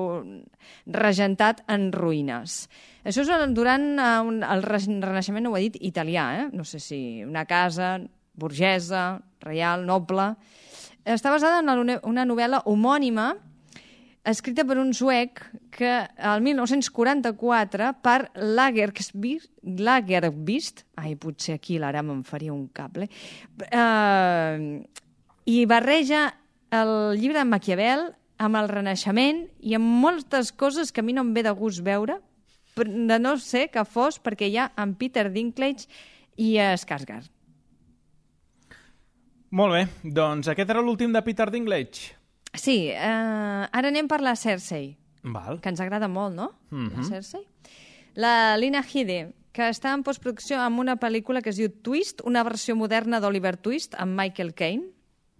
regentat en ruïnes. Això és durant el Renaixement, no ho he dit, italià, no sé si una casa burgesa, reial, noble. Està basada en una novel·la homònima escrita per un suec que el 1944 per Lagerkvist, potser aquí l'Aram em faria un cable, i barreja el llibre de Maquiavel amb el Renaixement i amb moltes coses que a mi no em ve de gust veure, de no ser que fos perquè hi ha en Peter Dinklage i Skarsgård. Molt bé, doncs aquest era l'últim de Peter Dinklage. Sí, ara anem per la Cersei, Val. que ens agrada molt, no? La Cersei. La Lina Headey, que està en postproducció amb una pel·lícula que es diu Twist, una versió moderna d'Oliver Twist amb Michael Caine.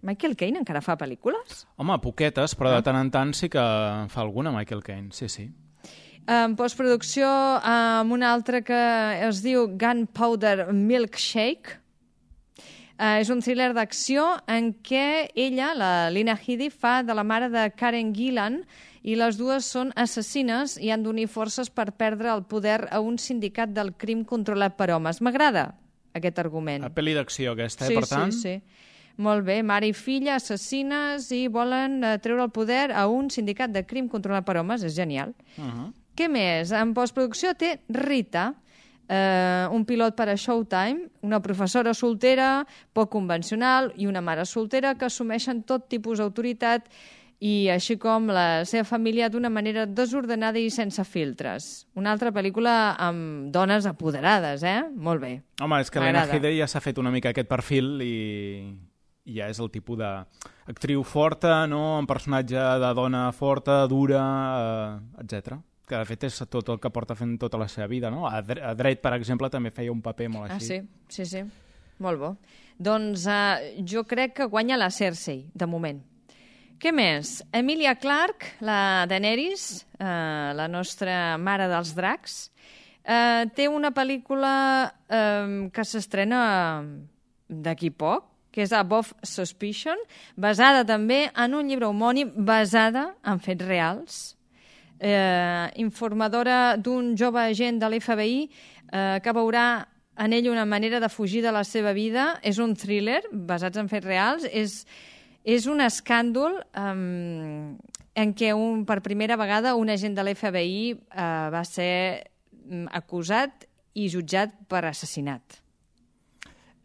Michael Caine encara fa pel·lícules? Home, poquetes, però de tant en tant sí que fa alguna, Michael Caine, sí. En postproducció amb una altra que es diu Gunpowder Milkshake. És un thriller d'acció en què ella, la Lina Headey, fa de la mare de Karen Gillan i les dues són assassines i han d'unir forces per perdre el poder a un sindicat del crim controlat per homes. M'agrada aquest argument. La pel·li d'acció aquesta, per tant? Sí. Molt bé, mare i filla, assassines i volen treure el poder a un sindicat de crim controlat per homes. És genial. Què més? En postproducció té Rita, un pilot per a Showtime, una professora soltera, poc convencional, i una mare soltera que assumeixen tot tipus d'autoritat i així com la seva família d'una manera desordenada i sense filtres. Una altra pel·lícula amb dones apoderades, Molt bé. Home, és que l'Anna Headey ja s'ha fet una mica aquest perfil i ja és el tipus d'actriu forta, no? Un personatge de dona forta, dura, etc. Que de fet és tot el que porta fent tota la seva vida, no? A Dredd, per exemple, també feia un paper molt així. Sí. Molt bo. Doncs jo crec que guanya la Cersei, de moment. Què més? Emilia Clarke, la Daenerys, la nostra mare dels dracs, té una pel·lícula que s'estrena d'aquí poc, que és Above Suspicion, basada també en un llibre homònim, basada en fets reals. Informadora d'un jove agent de l'FBI que veurà en ell una manera de fugir de la seva vida. És un thriller basat en fets reals. És un escàndol en què per primera vegada un agent de l'FBI va ser acusat i jutjat per assassinat.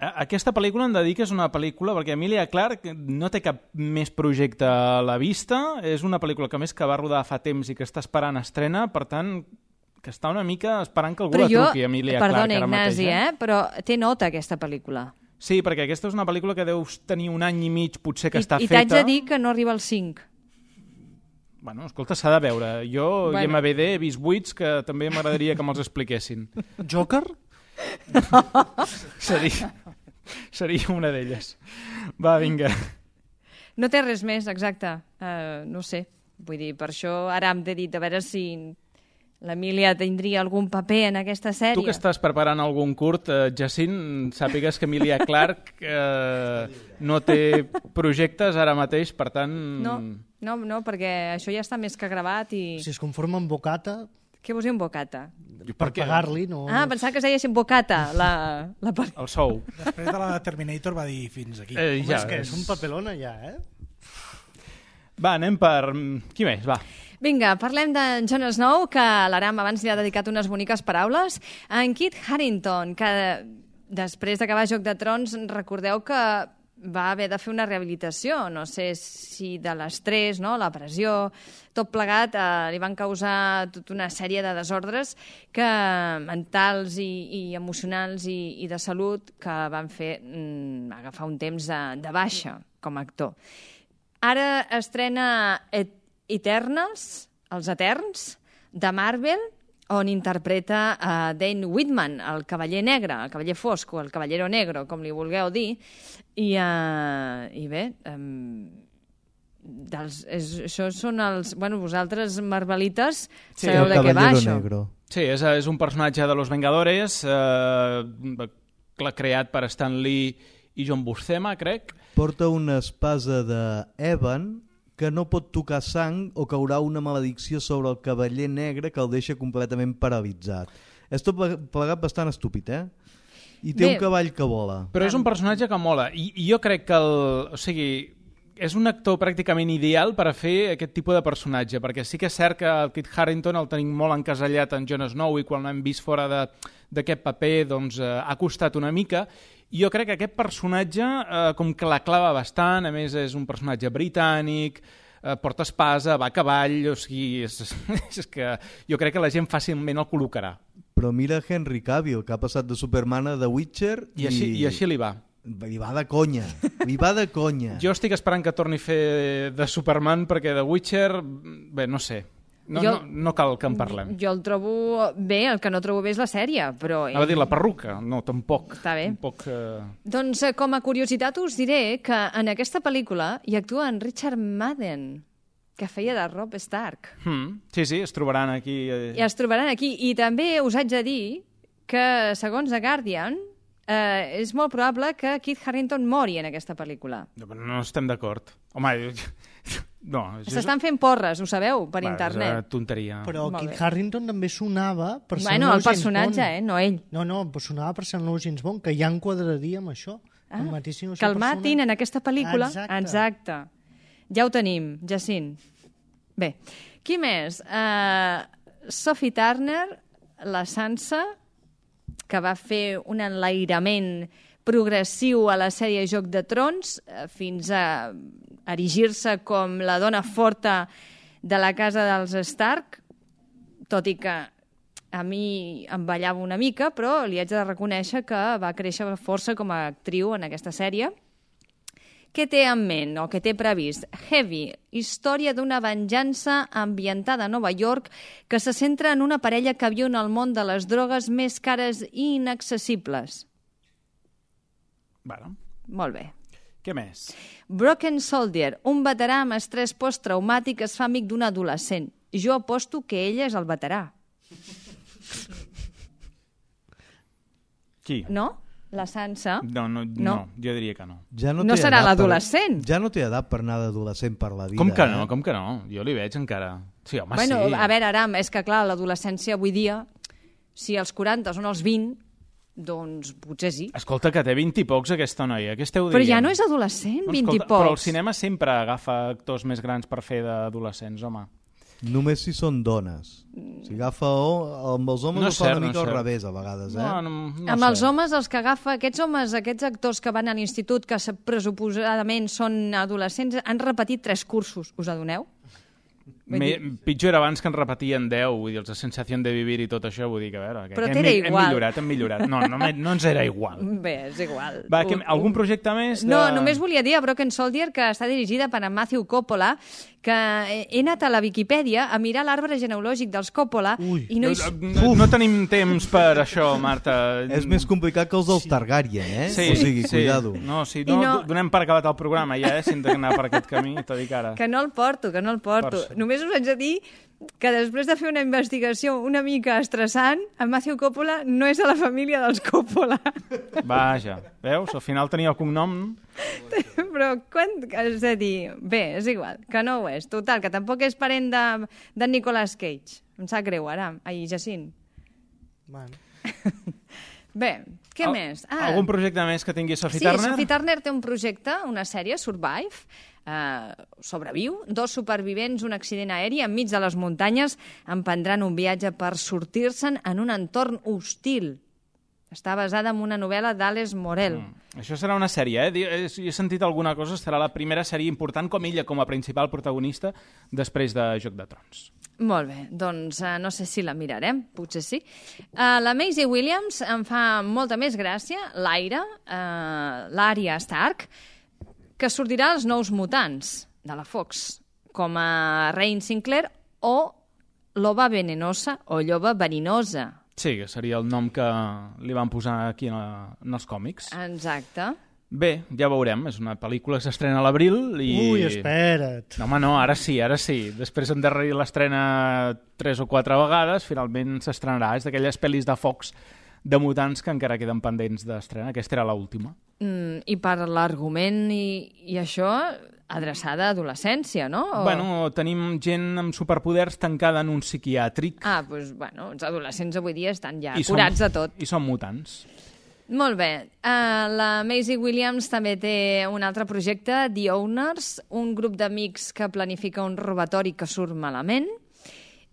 Aquesta pel·lícula em dedica és una pel·lícula perquè Emilia Clarke no té cap més projecte a la vista, és una pel·lícula que més que va rodar fa temps i que està esperant estrena, per tant, que està una mica esperant que algú la truqui, Emilia Clarke, ara mateix. Perdona, Ignasi, però té nota aquesta pel·lícula. Sí, perquè aquesta és una pel·lícula que deus tenir un any i mig potser que està feta. I t'haig de dir que no arriba als 5. Bueno, escolta, s'ha de veure. Jo i MVD he vist 8 que també m'agradaria que me'ls expliquessin. Joker? Seria una d'elles. Va, vinga. No té res més, exacte. No sé. Vull dir, per això ara hem de dir a veure si l'Emília tindria algun paper en aquesta sèrie. Tu que estàs preparant algun curt, Jacint, sàpigues que Emilia Clarke no té projectes ara mateix, per tant... No, perquè això ja està més que gravat i... Si es conforma amb bocata... Què vols dir amb bocata? Per pagar-li, no... Pensava que es deia així bocata, el sou. Després de la Terminator va dir fins aquí. Home, és que és un papelona ja, Va, anem per... Qui més? Va. Vinga, parlem d'en Jon Snow, que l'Aram abans li ha dedicat unes boniques paraules. En Kit Harington, que després d'acabar Joc de Trons, recordeu que va haver de fer una rehabilitació, no sé si de l'estrès, no? La pressió, tot plegat, li van causar tota una sèrie de desordres mentals i emocionals i de salut que van fer agafar un temps de baixa com a actor. Ara estrena Eternals, Els Eterns, de Marvel, on interpreta Dane Whitman, el cavaller negre, el cavaller fosc, o el cavallero negro, com li vulgueu dir, i bé, això són els... Bueno, vosaltres, marvelites, sabeu de què va, això. Negro. Sí, és un personatge de Los Vengadores, creat per Stan Lee i John Buscema, crec. Porta una espasa d'Evan que no pot tocar sang o caurà una maledicció sobre el cavaller negre que el deixa completament paralitzat. És tot plegat bastant estúpid, I té un cavall que vola. Però és un personatge que mola. I jo crec que és un actor pràcticament ideal per a fer aquest tipus de personatge, perquè sí que és cert que el Kit Harington el tenim molt encasellat en Jon Snow i quan l'hem vist fora d'aquest paper doncs, ha costat una mica. Jo crec que aquest personatge com que la clava bastant, a més és un personatge britànic, porta espasa, va a cavall, o sigui, és que jo crec que la gent fàcilment el col·locarà. Però mira Henry Cavill, que ha passat de Superman a The Witcher I així li va. Li va de conya, li va de conya. Jo estic esperant que torni a fer de Superman perquè The Witcher, bé, no sé. No cal que en parlem. Jo el trobo bé, el que no trobo bé és la sèrie, però... Anava a dir la perruca, no, tampoc. Està bé. Tampoc, Doncs com a curiositat us diré que en aquesta pel·lícula hi actua en Richard Madden, que feia de Robb Stark. Sí, es trobaran aquí. I es trobaran aquí. I també us haig de dir que, segons The Guardian, és molt probable que Kit Harington mori en aquesta pel·lícula. No estem d'acord. Home, no. S'estan fent porres, ho sabeu, per internet. És una tonteria. Però Kit Harington també sonava per ser el personatge, no ell. No, sonava per ser el nou James Bond, que ja enquadraria amb això. Que el matin en aquesta pel·lícula. Exacte. Ja ho tenim, Jacint. Bé, qui més? Sophie Turner, la Sansa, que va fer un enlairament progressiu a la sèrie Joc de Trons fins a erigir-se com la dona forta de la casa dels Stark, tot i que a mi em ballava una mica, però li haig de reconèixer que va créixer força com a actriu en aquesta sèrie, Què té en ment o què té previst? Heavy, història d'una venjança ambientada a Nova York que se centra en una parella que viu en el món de les drogues més cares i inaccessibles. Bueno. Molt bé. Què més? Broken Soldier, un veterà amb estrès posttraumàtic es fa amic d'un adolescent. Jo aposto que ella és el veterà. Qui? No? La Sansa? No, jo diria que no. Ja No té serà edat l'adolescent? Ja no té edat per anar d'adolescent per la vida. Com que no? Com que no? Jo li veig encara. Sí, home, Bueno, sí. a veure, Aram, és que clar, l'adolescència avui dia, si als 40 són els 20, doncs potser sí. Escolta, que té 20 i pocs aquesta noia. Què esteu dient? Però ja no és adolescent, 20 i pocs. Però el cinema sempre agafa actors més grans per fer d'adolescents, home. Només si són dones. Si agafa amb els homes ho fa una mica al revés a vegades, eh? Amb els homes, els que agafa, aquests actors que van a l'institut que pressuposadament són adolescents, han repetit 3 cursos, us adoneu? Pitjor era abans que en repetien 10, vull dir, els de Sensació de Vivir i tot això, vull dir que a veure... Però t'era igual. Hem millorat. No ens era igual. Bé, és igual. Va, algun projecte més? No, només volia dir a Broken Soldier que està dirigida per en Matthew Coppola, que he anat a la Viquipèdia a mirar l'arbre genealògic dels Coppola i no tenim temps per això, Marta. És més complicat que els dels Targaryen, eh? Sí, o sigui, cuidado. No, donem per acabat el programa ja, si hem d'anar per aquest camí, t'ho dic ara. Que no el porto. Només us haig de dir que després de fer una investigació una mica estressant, en Matthew Coppola no és de la família dels Coppola. Vaja, veus? Al final tenia el cognom... Però és a dir, bé, és igual, que no ho és. Total, que tampoc és parent de Nicolas Cage. Em sap greu, ara. Ai, Jacint. Bueno. Bé, què més? Algun projecte més que tingui Sophie Turner? Sí, Sophie Turner té un projecte, una sèrie, Survive, sobreviu. 2 supervivents, un accident aeri enmig de les muntanyes, emprendran un viatge per sortir-se'n en un entorn hostil. Està basada en una novel·la d'Alice Morel. Això serà una sèrie, eh? He sentit alguna cosa, serà la primera sèrie important com ella, com a principal protagonista, després de Joc de Trons. Molt bé, doncs no sé si la mirarem, potser sí. La Maisie Williams em fa molta més gràcia, l'Arya Stark, que sortirà als Nous Mutants, de la Fox, com a Rain Sinclair o Loba Venenosa o Lloba Verinosa. Sí, que seria el nom que li van posar aquí en els còmics. Exacte. Bé, ja veurem. És una pel·lícula que s'estrena a l'abril i... Ui, espera't. No, home, no, ara sí. Després d'endarrerir l'estrena 3 o 4 vegades, finalment s'estrenarà. És d'aquelles pel·lis de Fox de mutants que encara queden pendents d'estrena. Aquesta era l'última. I per l'argument i això, adreçada a adolescència, no? Bueno, tenim gent amb superpoders tancada en un psiquiàtric. Doncs, els adolescents avui dia estan ja curats de tot. I són mutants. Molt bé. La Maisie Williams també té un altre projecte, The Owners, un grup d'amics que planifica un robatori que surt malament,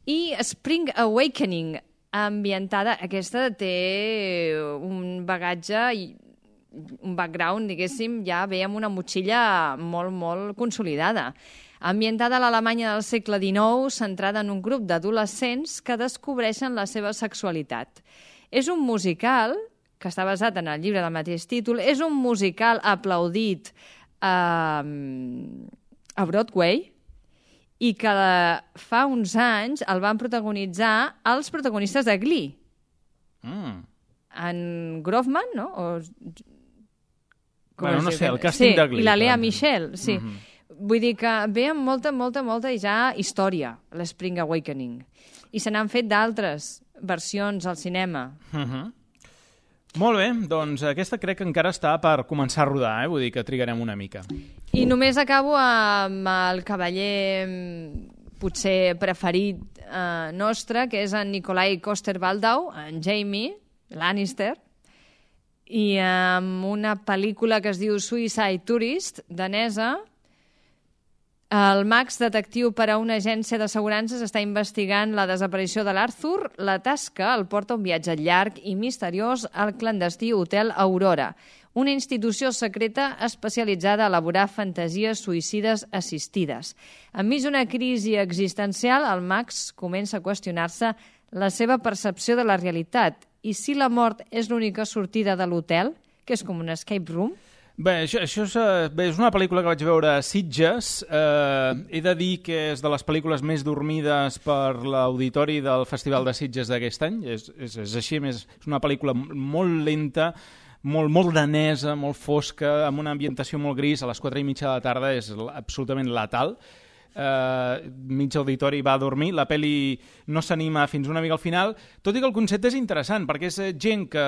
i Spring Awakening, ambientada. Aquesta té un bagatge i un background, diguéssim, ja ve amb una motxilla molt, molt consolidada. Ambientada a l'Alemanya del segle XIX, centrada en un grup d'adolescents que descobreixen la seva sexualitat. És un musical que està basat en el llibre del mateix títol, és un musical aplaudit a Broadway i que fa uns anys el van protagonitzar els protagonistes de Glee. En Groffman, no? No sé, el càsting de Glee. I la Lea Michele, sí. Vull dir que ve amb molta ja història, l'Spring Awakening. I se n'han fet d'altres versions al cinema. Molt bé, doncs aquesta crec que encara està per començar a rodar, vull dir que trigarem una mica. I només acabo amb el cavaller potser preferit nostre, que és en Nikolai Coster-Waldau, en Jaime Lannister, i amb una pel·lícula que es diu Suicide Tourist, danesa. El Max, detectiu per a una agència d'assegurances, està investigant la desaparició de l'Arthur. La tasca el porta un viatge llarg i misteriós al clandestí Hotel Aurora, una institució secreta especialitzada a elaborar fantasies suïcides assistides. Enmig d'una crisi existencial, el Max comença a qüestionar-se la seva percepció de la realitat. I si la mort és l'única sortida de l'hotel, que és com un escape room? Bé, això és una pel·lícula que vaig veure a Sitges. He de dir que és de les pel·lícules més dormides per l'auditori del Festival de Sitges d'aquest any. És així, és una pel·lícula molt lenta, molt danesa, molt fosca, amb una ambientació molt gris. A les 4:30 de la tarda és absolutament letal. Mig auditori va a dormir, la pel·li no s'anima fins una mica al final, tot i que el concepte és interessant, perquè és gent que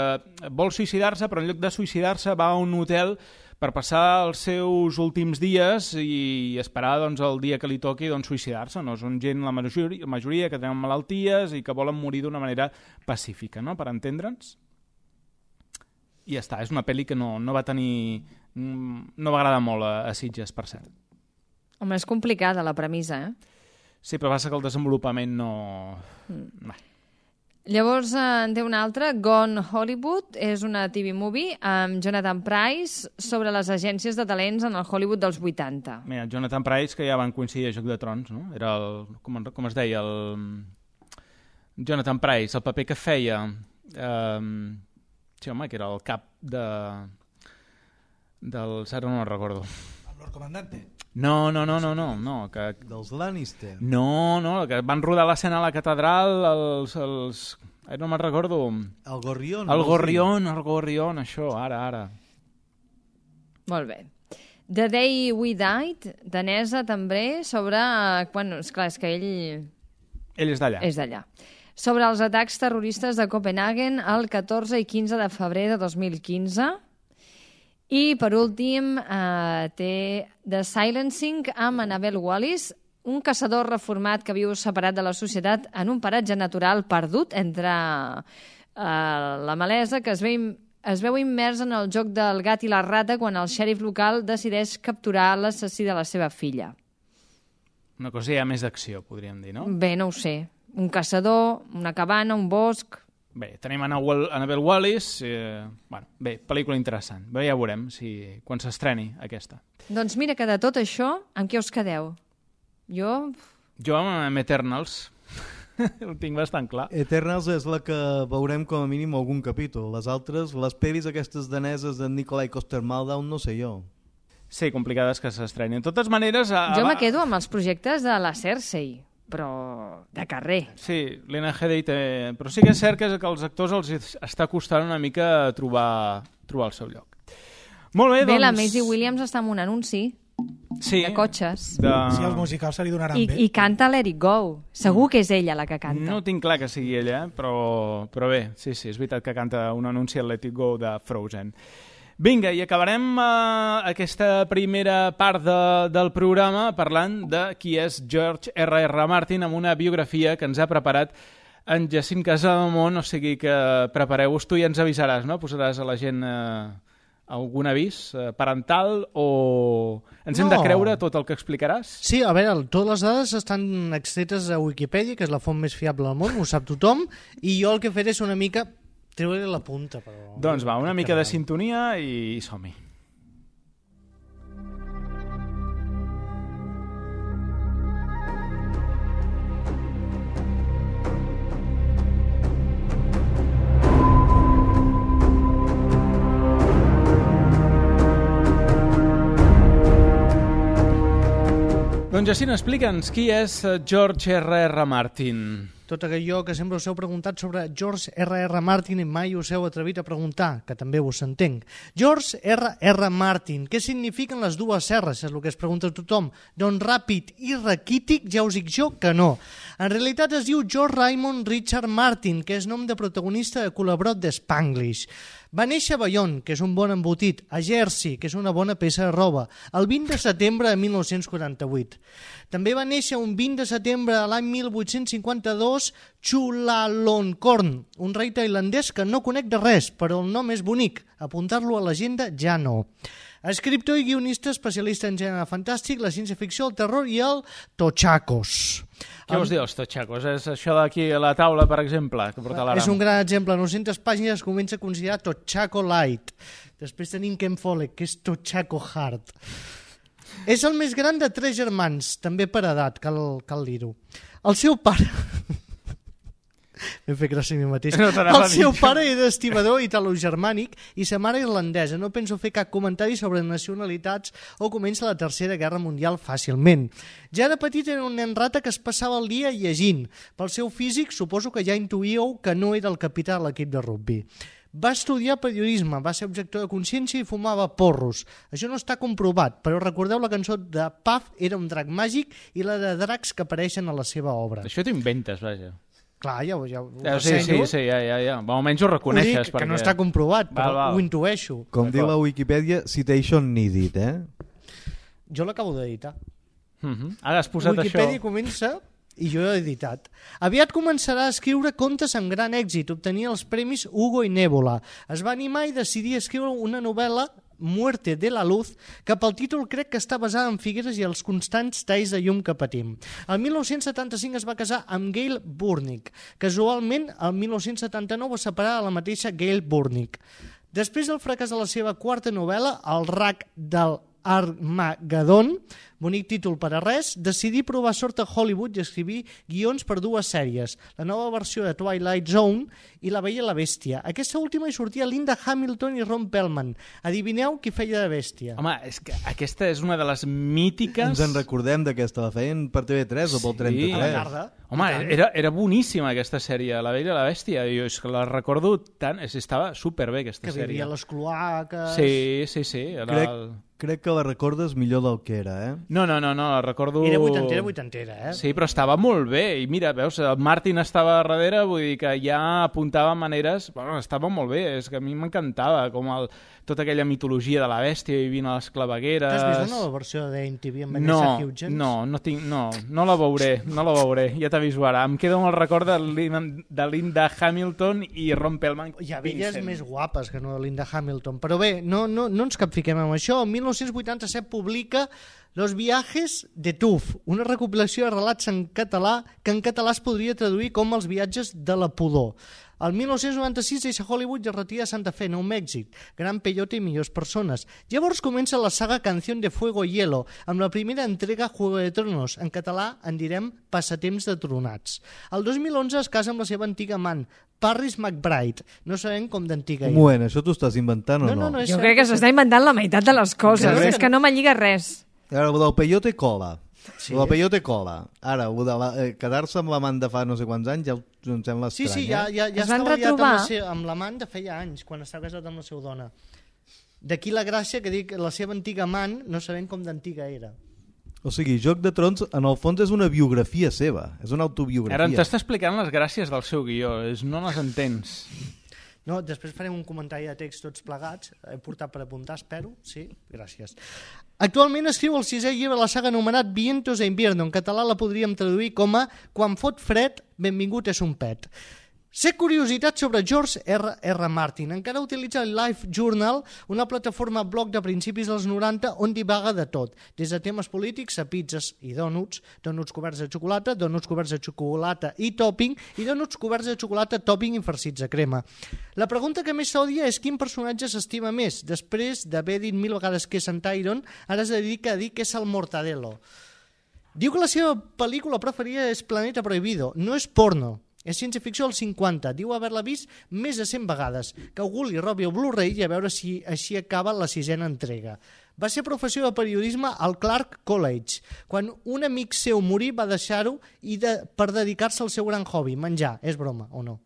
vol suïcidar-se, però en lloc de suïcidar-se va a un hotel per passar els seus últims dies i esperar doncs, el dia que li toqui doncs, suïcidar-se. No? Són gent, la majoria, que tenen malalties i que volen morir d'una manera pacífica, no? Per entendre'ns. I ja està, és una pel·li que no va tenir... no va agradar molt a Sitges, per cert. Home, és complicada la premissa, Sí, però passa que el desenvolupament no... Llavors en té una altra, Gone Hollywood, és una TV movie amb Jonathan Pryce sobre les agències de talents en el Hollywood dels 80. Mira, Jonathan Pryce, que ja van coincidir a Joc de Trons, no? Era el... Com es deia? Jonathan Pryce, el paper que feia... Sí, home, que era el cap del... Ara no me'n recordo. El Lord Comandante. No. Que... Dels Lannister. No, que van rodar l'escena a la catedral, no me'n recordo. El Gorrión. El Gorrión, això, ara. Molt bé. The Day We Died, danesa també, sobre... Bueno, esclar, és que ell... Ell és d'allà. És d'allà. Sobre els atacs terroristes de Copenhagen el 14 i 15 de febrer de 2015... I, per últim, té The Silencing amb Annabelle Wallis, un caçador reformat que viu separat de la societat en un paratge natural perdut entre la malesa, que es veu immers en el joc del gat i la rata quan el xèrif local decideix capturar l'assassí de la seva filla. Una cosa ja més d'acció, podríem dir, no? Bé, no ho sé. Un caçador, una cabana, un bosc... Bé, tenim Annabelle Wallis, bé, pel·lícula interessant. Bé, ja veurem quan s'estreni aquesta. Doncs mira que de tot això, amb què us quedeu? Jo amb Eternals. Ho tinc bastant clar. Eternals és la que veurem com a mínim algun capítol. Les altres, les pel·lis aquestes daneses de Nikolai Coster-Waldau, no sé jo. Sí, complicades que s'estrenin. De totes maneres... Jo me quedo amb els projectes de la Cersei, però de carrer. Sí, l'Ena Headey té... Però sí que és cert que els actors els està costant una mica trobar el seu lloc. Molt bé, doncs... Bé, la Maisie Williams està en un anunci de cotxes. Sí, els musicals se li donaran bé. I canta Let It Go. Segur que és ella la que canta. No tinc clar que sigui ella, però bé, sí, és veritat que canta un anunci al Let It Go de Frozen. Vinga, i acabarem aquesta primera part del programa parlant de qui és George R.R. Martin amb una biografia que ens ha preparat en Jacint Casademont, o sigui que prepareu-vos, tu i ens avisaràs, no? Posaràs a la gent algun avís parental o ens hem de creure tot el que explicaràs? Sí, a veure, totes les dades estan extretes a Wikipedia, que és la font més fiable del món, ho sap tothom, i jo el que faré és una mica... treure la punta, però... Doncs va, una mica de sintonia i som-hi. Doncs Jacint, explica'ns qui és George R.R. Martin. Tot allò que sempre us heu preguntat sobre George R.R. Martin i mai us heu atrevit a preguntar, que també us entenc. George R.R. Martin, què signifiquen les dues R's? És el que es pregunta tothom. Doncs ràpid i raquític, ja us dic jo que no. En realitat es diu George Raymond Richard Martin, que és nom de protagonista de Colabrot de Spanglish. Va néixer a Bayonne, que és un bon embotit, a Jersey, que és una bona peça de roba, el 20 de setembre de 1948. També va néixer un 20 de setembre de l'any 1852 Chulalongkorn, un rei tailandès que no conec de res, però el nom és bonic. Apuntar-lo a l'agenda ja no. Escriptor i guionista especialista en gènere fantàstic, la ciència-ficció, el terror i el tochacos. Què vols dir, els tochacos? És això d'aquí a la taula, per exemple, que porta l'Aram? És un gran exemple. En 900 pàgines es comença a considerar Tochaco Light. Després tenim Ken Follett, que és Tochaco Hard. És el més gran de 3 germans, també per edat, cal dir-ho. El seu pare... Hem fet gràcia a mi mateix. No t'anava a El dir seu això. pare era estibador italo-germànic i sa mare irlandesa. No penso fer cap comentari sobre nacionalitats o comença la Tercera Guerra Mundial fàcilment. Ja de petit era un nen rata que es passava el dia llegint. Pel seu físic suposo que ja intuíeu que no era el capità de l'equip de rugby. Va estudiar periodisme, va ser objector de consciència i fumava porros. Això no està comprovat, però recordeu la cançó de Puff era un drac màgic i la de dracs que apareixen a la seva obra. Això t'ho inventes, vaja. Clar, ja ho Sí, ressenyo. ja. Almenys ho Ho reconeixes. dic, que no està comprovat, però Val. ho intueixo. Com diu la Wikipedia, citation needed, Jo l'acabo d'editar. Ara has posat Wikipedia això. comença i jo he editat. Aviat començarà a escriure contes amb gran èxit, obtenia els premis Hugo i Nébula. Es va animar i decidir escriure una novel·la Muerte de la Luz, que pel títol crec que està basada en Figueres i els constants talls de llum que patim. El 1975 es va casar amb Gail Burnick. Casualment, el 1979 va separar a la mateixa Gail Burnick. Després del fracàs de la seva quarta novel·la, El rac del Armageddon, bonic títol per a res, decidí provar sort a Hollywood i escrivir guions per dues sèries, la nova versió de Twilight Zone i La Bella i la Bèstia. Aquesta última hi sortia Linda Hamilton i Ron Perlman. Adivineu qui feia de bèstia? Home, és que aquesta és una de les mítiques... Ens en recordem d'aquesta, la feien per TV3 o pel 33. A la tarda. Home, era boníssima aquesta sèrie, La Bella i la Bèstia. Jo és que la recordo tant... Estava superbé aquesta Que sèrie. vivia a les cloaques... Sí. Crec que la recordes millor del que era, No, la recordo... Era vuitantera, Sí, però estava molt bé. I mira, veus, el Martin estava darrere, vull dir que ja apuntava maneres... Bueno, estava molt bé, és que a mi m'encantava, com tota aquella mitologia de la bèstia vivint a les clavegueres... T'has vist la nova versió de MTV amb Vanessa Hudgens? No la veuré, ja t'aviso ara. Em quedo amb el record de Linda Hamilton i Ron Perlman. Hi ha velles més guapes que no de Linda Hamilton. Però bé, no ens capfiquem amb això. El 1987 publica Los viajes de Tuf, una recopilació de relats en català que en català es podria traduir com Els viatges de la pudor. El 1996 deixa Hollywood i es retira a Santa Fe, Nou Mèxic. Gran peyote i millors persones. Llavors comença la saga Canción de Fuego y Hielo, amb la primera entrega Juego de Tronos. En català en direm Passatemps de Tronats. El 2011 es casa amb la seva antiga amant, Parris McBride. No sabem com d'antiga Un moment, això t'ho estàs inventant o no? és Jo cert. crec que s'està inventant la meitat de les coses. Crec És que no me lliga res. Ara, el del peyote cola. Sí. El del peyote cola. Ara, el de quedar-se amb l'amant de fa no sé quants anys ja em sembla estrany. Sí, ja Es van estava liat retrobar? amb l'amant de feia anys, quan estava casat amb la seva dona. D'aquí la gràcia que dic, la seva antiga amant, no sabem com d'antiga era. O sigui, Joc de Trons, en el fons, és una biografia seva. És una autobiografia. Ara t'està explicant les gràcies del seu guió, no les entens. No, després farem un comentari de text tots plegats. He portat per apuntar, espero. Sí, gràcies. Actualment escriu el 6è llibre de la saga anomenat Vientos de Invierno. En català la podríem traduir com a Quan fot fred, benvingut és un pet. Sé curiositat sobre George R.R. Martin. Encara utilitza el Life Journal, una plataforma blog de principis dels 90 on divaga de tot, des de temes polítics a pizzas i dònuts, dònuts coberts de xocolata, dònuts coberts de xocolata i topping, i dònuts coberts de xocolata, topping i farcits de crema. La pregunta que més s'odia és quin personatge s'estima més. Després d'haver dit 1000 vegades que és en Tyron, ara es dedica a dir que és el Mortadelo. Diu que la seva pel·lícula preferida és Planeta Prohibido. No és porno. És ciència-ficció als 50. Diu haver-la vist més de 100 vegades. Que algú li robi el Blu-ray i a veure si així acaba la 6ª entrega. Va ser professor de periodisme al Clark College. Quan un amic seu morí va deixar-ho per dedicar-se al seu gran hobby, menjar. És broma, o no?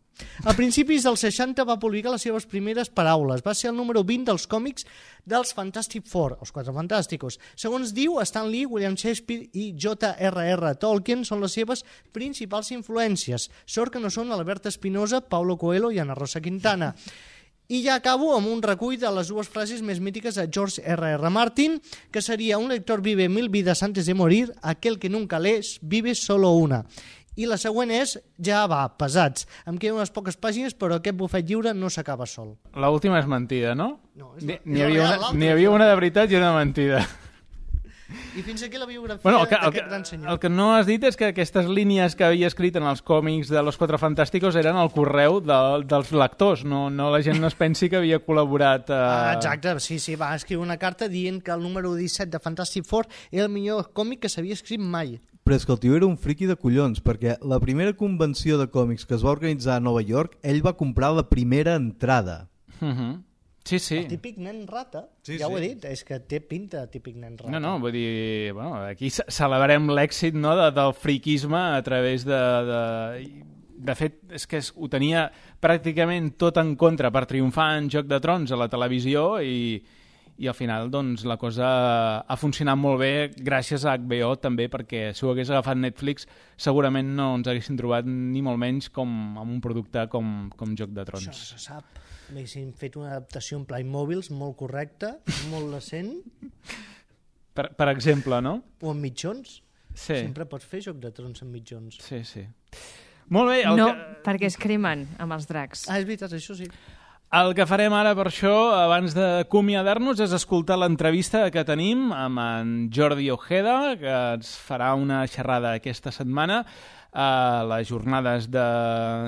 A principis dels 60 va publicar les seves primeres paraules. Va ser el número 20 dels còmics dels Fantastic Four, els Quatre Fantàsticos. Segons diu, Stan Lee, William Shakespeare i J.R.R. Tolkien són les seves principals influències. Sort que no són Albert Espinosa, Paulo Coelho i Ana Rosa Quintana. I ja acabo amb un recull de les dues frases més mítiques de George R.R. Martin, que seria: un lector vive 1000 vidas antes de morir, aquel que nunca lees vive solo una. I la següent és, ja va, pesats. Em queden unes poques pàgines, però aquest bufet lliure no s'acaba sol. L'última és mentida, no? No, N'hi havia una de veritat i una de mentida. I fins aquí la biografia el d'aquest gran senyor. que no has dit és que aquestes línies que havia escrit en els còmics de Los Quatre Fantásticos eren el correu dels lectors, no la gent no es pensi que havia col·laborat... Exacte, sí, va escriure una carta dient que el número 17 de Fantastic Four era el millor còmic que s'havia escrit mai. Però és que el tio era un friqui de collons, perquè la primera convenció de còmics que es va organitzar a Nova York, ell va comprar la primera entrada. Sí, sí. El típic nen rata, Sí, ja ho he sí. dit, és que té pinta de típic nen rata. No, vull dir, bueno, aquí celebrem l'èxit, no, del friquisme a través de fet, és que ho tenia pràcticament tot en contra per triomfar en Joc de Trons a la televisió i al final doncs, la cosa ha funcionat molt bé gràcies a HBO també, perquè si ho hagués agafat Netflix segurament no ens haguessin trobat ni molt menys com amb un producte com Joc de Trons. Això se sap. Haguessin fet una adaptació en Playmobil molt correcta, molt decent. Per exemple, no? O en mitjons. Sí. Sempre pots fer Joc de Trons en mitjons. Sí, sí. Molt bé. No, perquè es cremen amb els dracs. Ah, és veritat, això sí. El que farem ara per això, abans d'acomiadar-nos, és escoltar l'entrevista que tenim amb en Jordi Ojeda, que ens farà una xerrada aquesta setmana a les jornades de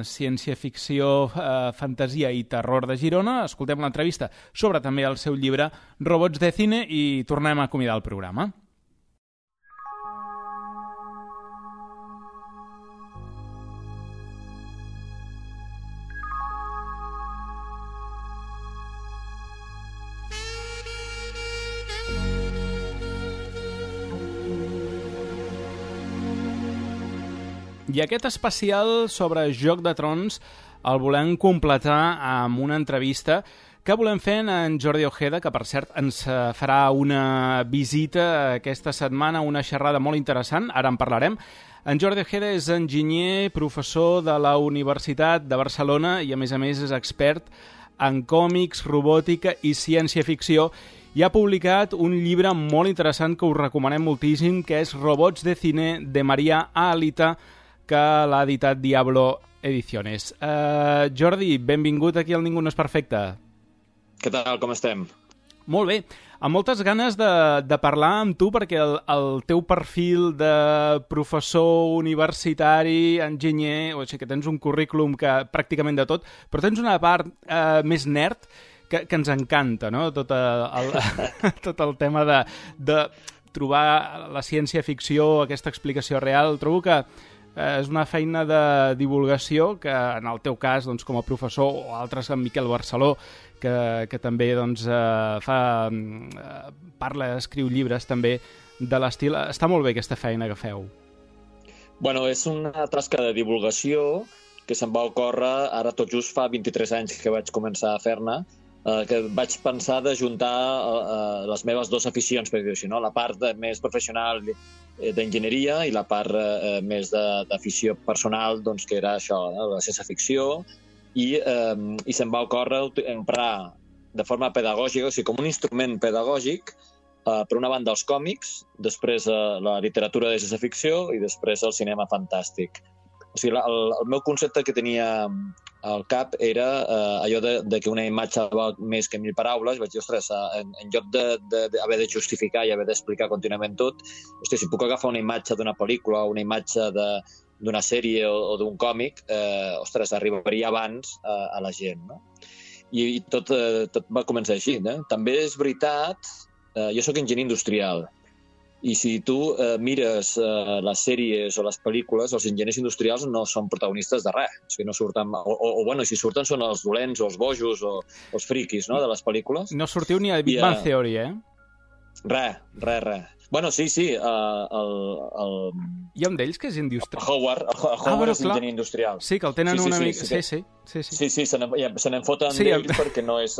ciència-ficció, fantasia i terror de Girona. Escoltem l'entrevista sobre també el seu llibre Robots de Cine i tornem a acomiadar el programa. I aquest especial sobre Joc de Trons el volem completar amb una entrevista que volem fer en Jordi Ojeda, que per cert ens farà una visita aquesta setmana, una xerrada molt interessant, ara en parlarem. En Jordi Ojeda és enginyer, professor de la Universitat de Barcelona i a més és expert en còmics, robòtica i ciència-ficció i ha publicat un llibre molt interessant que us recomanem moltíssim, que és Robots de Cine, de Maria Alita, que l'ha editat Diablo Ediciones. Jordi, benvingut aquí al Ningú no és perfecte. Què tal, com estem? Molt bé, amb moltes ganes de parlar amb tu perquè el teu perfil de professor universitari, enginyer, o sigui que tens un currículum que pràcticament de tot, però tens una part més nerd que ens encanta, no? Tot el tema de trobar la ciència-ficció, aquesta explicació real. Trobo que és una feina de divulgació que, en el teu cas, doncs, com a professor, o altres, en Miquel Barceló, que també doncs, parla, escriu llibres també de l'estil. Està molt bé aquesta feina que feu. Bueno, és una tasca de divulgació que se'm va ocórrer ara tot just fa 23 anys que vaig començar a fer-ne, que vaig pensar d'ajuntar les meves dues aficions, per dir-ho així, no? La part més professional d'enginyeria i la part més d'afició personal, doncs, que era això, la ciència-ficció, i se'm va ocórrer emprar de forma pedagògica, o sigui, com un instrument pedagògic, per una banda els còmics, després la literatura de ciència-ficció i després el cinema fantàstic. O sigui, el meu concepte que tenia al cap era allò de que una imatge val més que 1000 paraules. Vaig dir, ostres, en lloc d'haver de justificar i haver d'explicar contínuament tot, ostres, si puc agafar una imatge d'una pel·lícula o una imatge d'una sèrie o d'un còmic, ostres, arribaria abans a la gent, no? I tot va començar així, no? També és veritat, jo sóc enginyer industrial, i si tu mires les sèries o les pel·lícules, els enginyers industrials no són protagonistes de res. O sigui, no surten, bueno, si surten són els dolents o els bojos o els friquis, no?, de les pel·lícules. No sortiu ni a Big Bang Theory, eh? Res. Bueno, sí, Hi ha un d'ells que és industrial. Howard és enginyer industrial. Sí, que el tenen una mica... Sí, se n'en foten d'ells perquè no és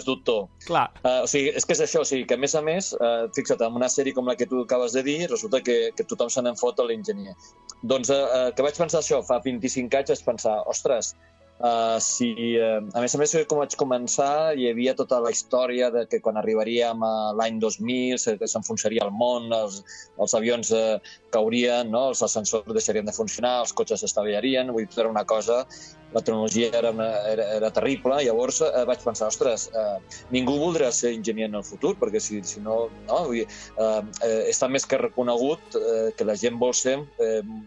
doctor. Clar. O sigui, és que és això, o sigui, que a més, fixa't, en una sèrie com la que tu acabes de dir, resulta que tothom se n'en fot a l'enginyer. Doncs que vaig pensar això, fa 25 anys vaig pensar, ostres, a més, com vaig començar, hi havia tota la història de que quan arribaríem a l'any 2000 s'enfonsaria el món, els avions caurien, no? Els ascensors deixarien de funcionar, els cotxes s'estavellarien, vull dir, era una cosa, la tecnologia era terrible. Llavors vaig pensar, ostres, ningú voldrà ser enginyer en el futur, perquè si no, vull dir, està més que reconegut que la gent vol ser en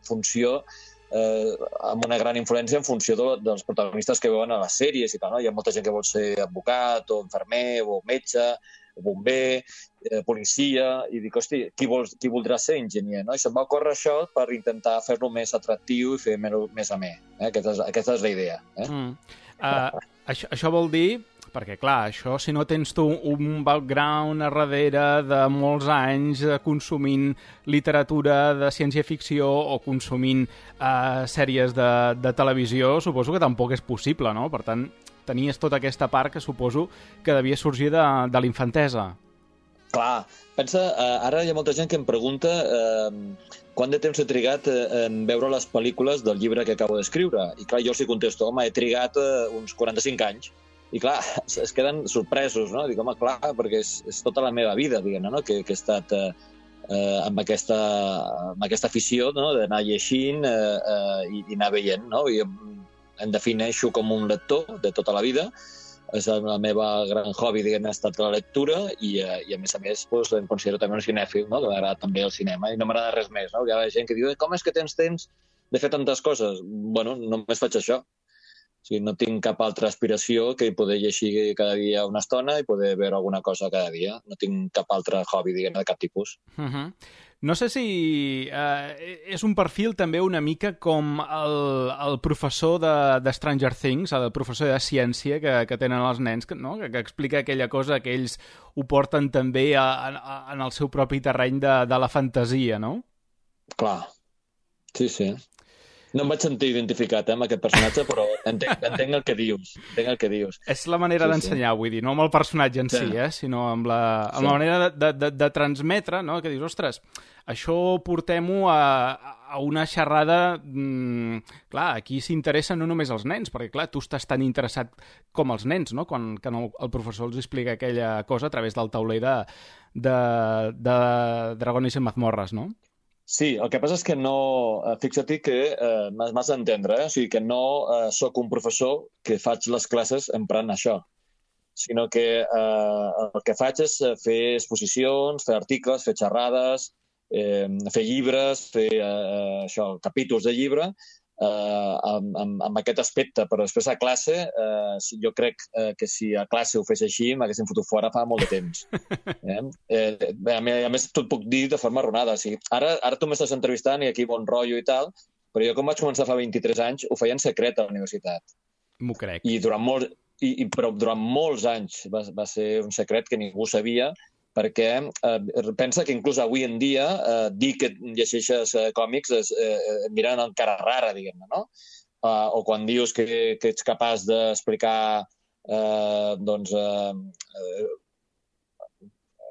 funció amb una gran influència en funció dels protagonistes que veuen a les sèries i tal, no? Hi ha molta gent que vol ser advocat o infermer o metge bomber, policia, i dic, hosti, qui voldrà ser enginyer, no? I se'm va ocórrer això per intentar fer-lo més atractiu i fer més amè. Aquesta és la idea. Això vol dir, perquè clar, això si no tens tu un background a darrere de molts anys consumint literatura de ciència-ficció o consumint sèries de televisió, suposo que tampoc és possible, no? Per tant, tenies tota aquesta part que suposo que devia sorgir de l'infantesa. Clar, pensa, ara hi ha molta gent que em pregunta quant de temps he trigat en veure les pel·lícules del llibre que acabo d'escriure. I clar, jo els hi contesto, home, he trigat uns 45 anys. I clar, es queden sorpresos, no? Dic, home, clar, perquè és tota la meva vida, diguem-ne, no? Que he estat amb aquesta afició, no? D'anar llegint i anar veient, no? I em defineixo com un lector de tota la vida. És el meu gran hobby, diguem, ha estat la lectura i a més, doncs, em considero també un cinèfil, no? Que m'agrada també el cinema i no m'agrada res més, no? Hi ha gent que diu, com és que tens temps de fer tantes coses? Bueno, només faig això. O sigui, no tinc cap altra aspiració que poder llegir cada dia una estona i poder veure alguna cosa cada dia. No tinc cap altre hobby, diguem, de cap tipus. No sé si és un perfil també una mica com el professor de Stranger Things, el professor de ciència que tenen els nens, no? Que explica aquella cosa que ells ho porten també en el seu propi terreny de la fantasia, no? Clar, sí. No em vaig sentir identificat amb aquest personatge, però entenc el que dius. És la manera d'ensenyar, vull dir, no amb el personatge en si, sinó amb la manera de transmetre, no? Que dius, ostres, això portem-ho a una xerrada... Clar, aquí s'interessa no només els nens, perquè clar, tu estàs tan interessat com els nens, no? Quan el professor els explica aquella cosa a través del tauler de Dragones en mazmorras, no? Sí, el que passa és que no... Fixa't que m'has d'entendre, o sigui, que no sóc un professor que faig les classes emprant això, sinó que el que faig és fer exposicions, fer articles, fer xerrades, fer llibres, fer capítols de llibre, amb aquest aspecte, però després a classe jo crec que si a classe ho fes així m'haguessin fotut fora fa molt de temps. A més t'ho puc dir de forma erronada. O sigui, ara tu m'estàs entrevistant i aquí bon rotllo i tal, però jo com vaig començar fa 23 anys ho feia en secret a la universitat. M'ho crec. Però durant molts anys va ser un secret que ningú sabia, perquè pensa que inclús avui en dia dir que llegeixes còmics et miren amb cara rara, diguem-ne, no? O quan dius que ets capaç d'explicar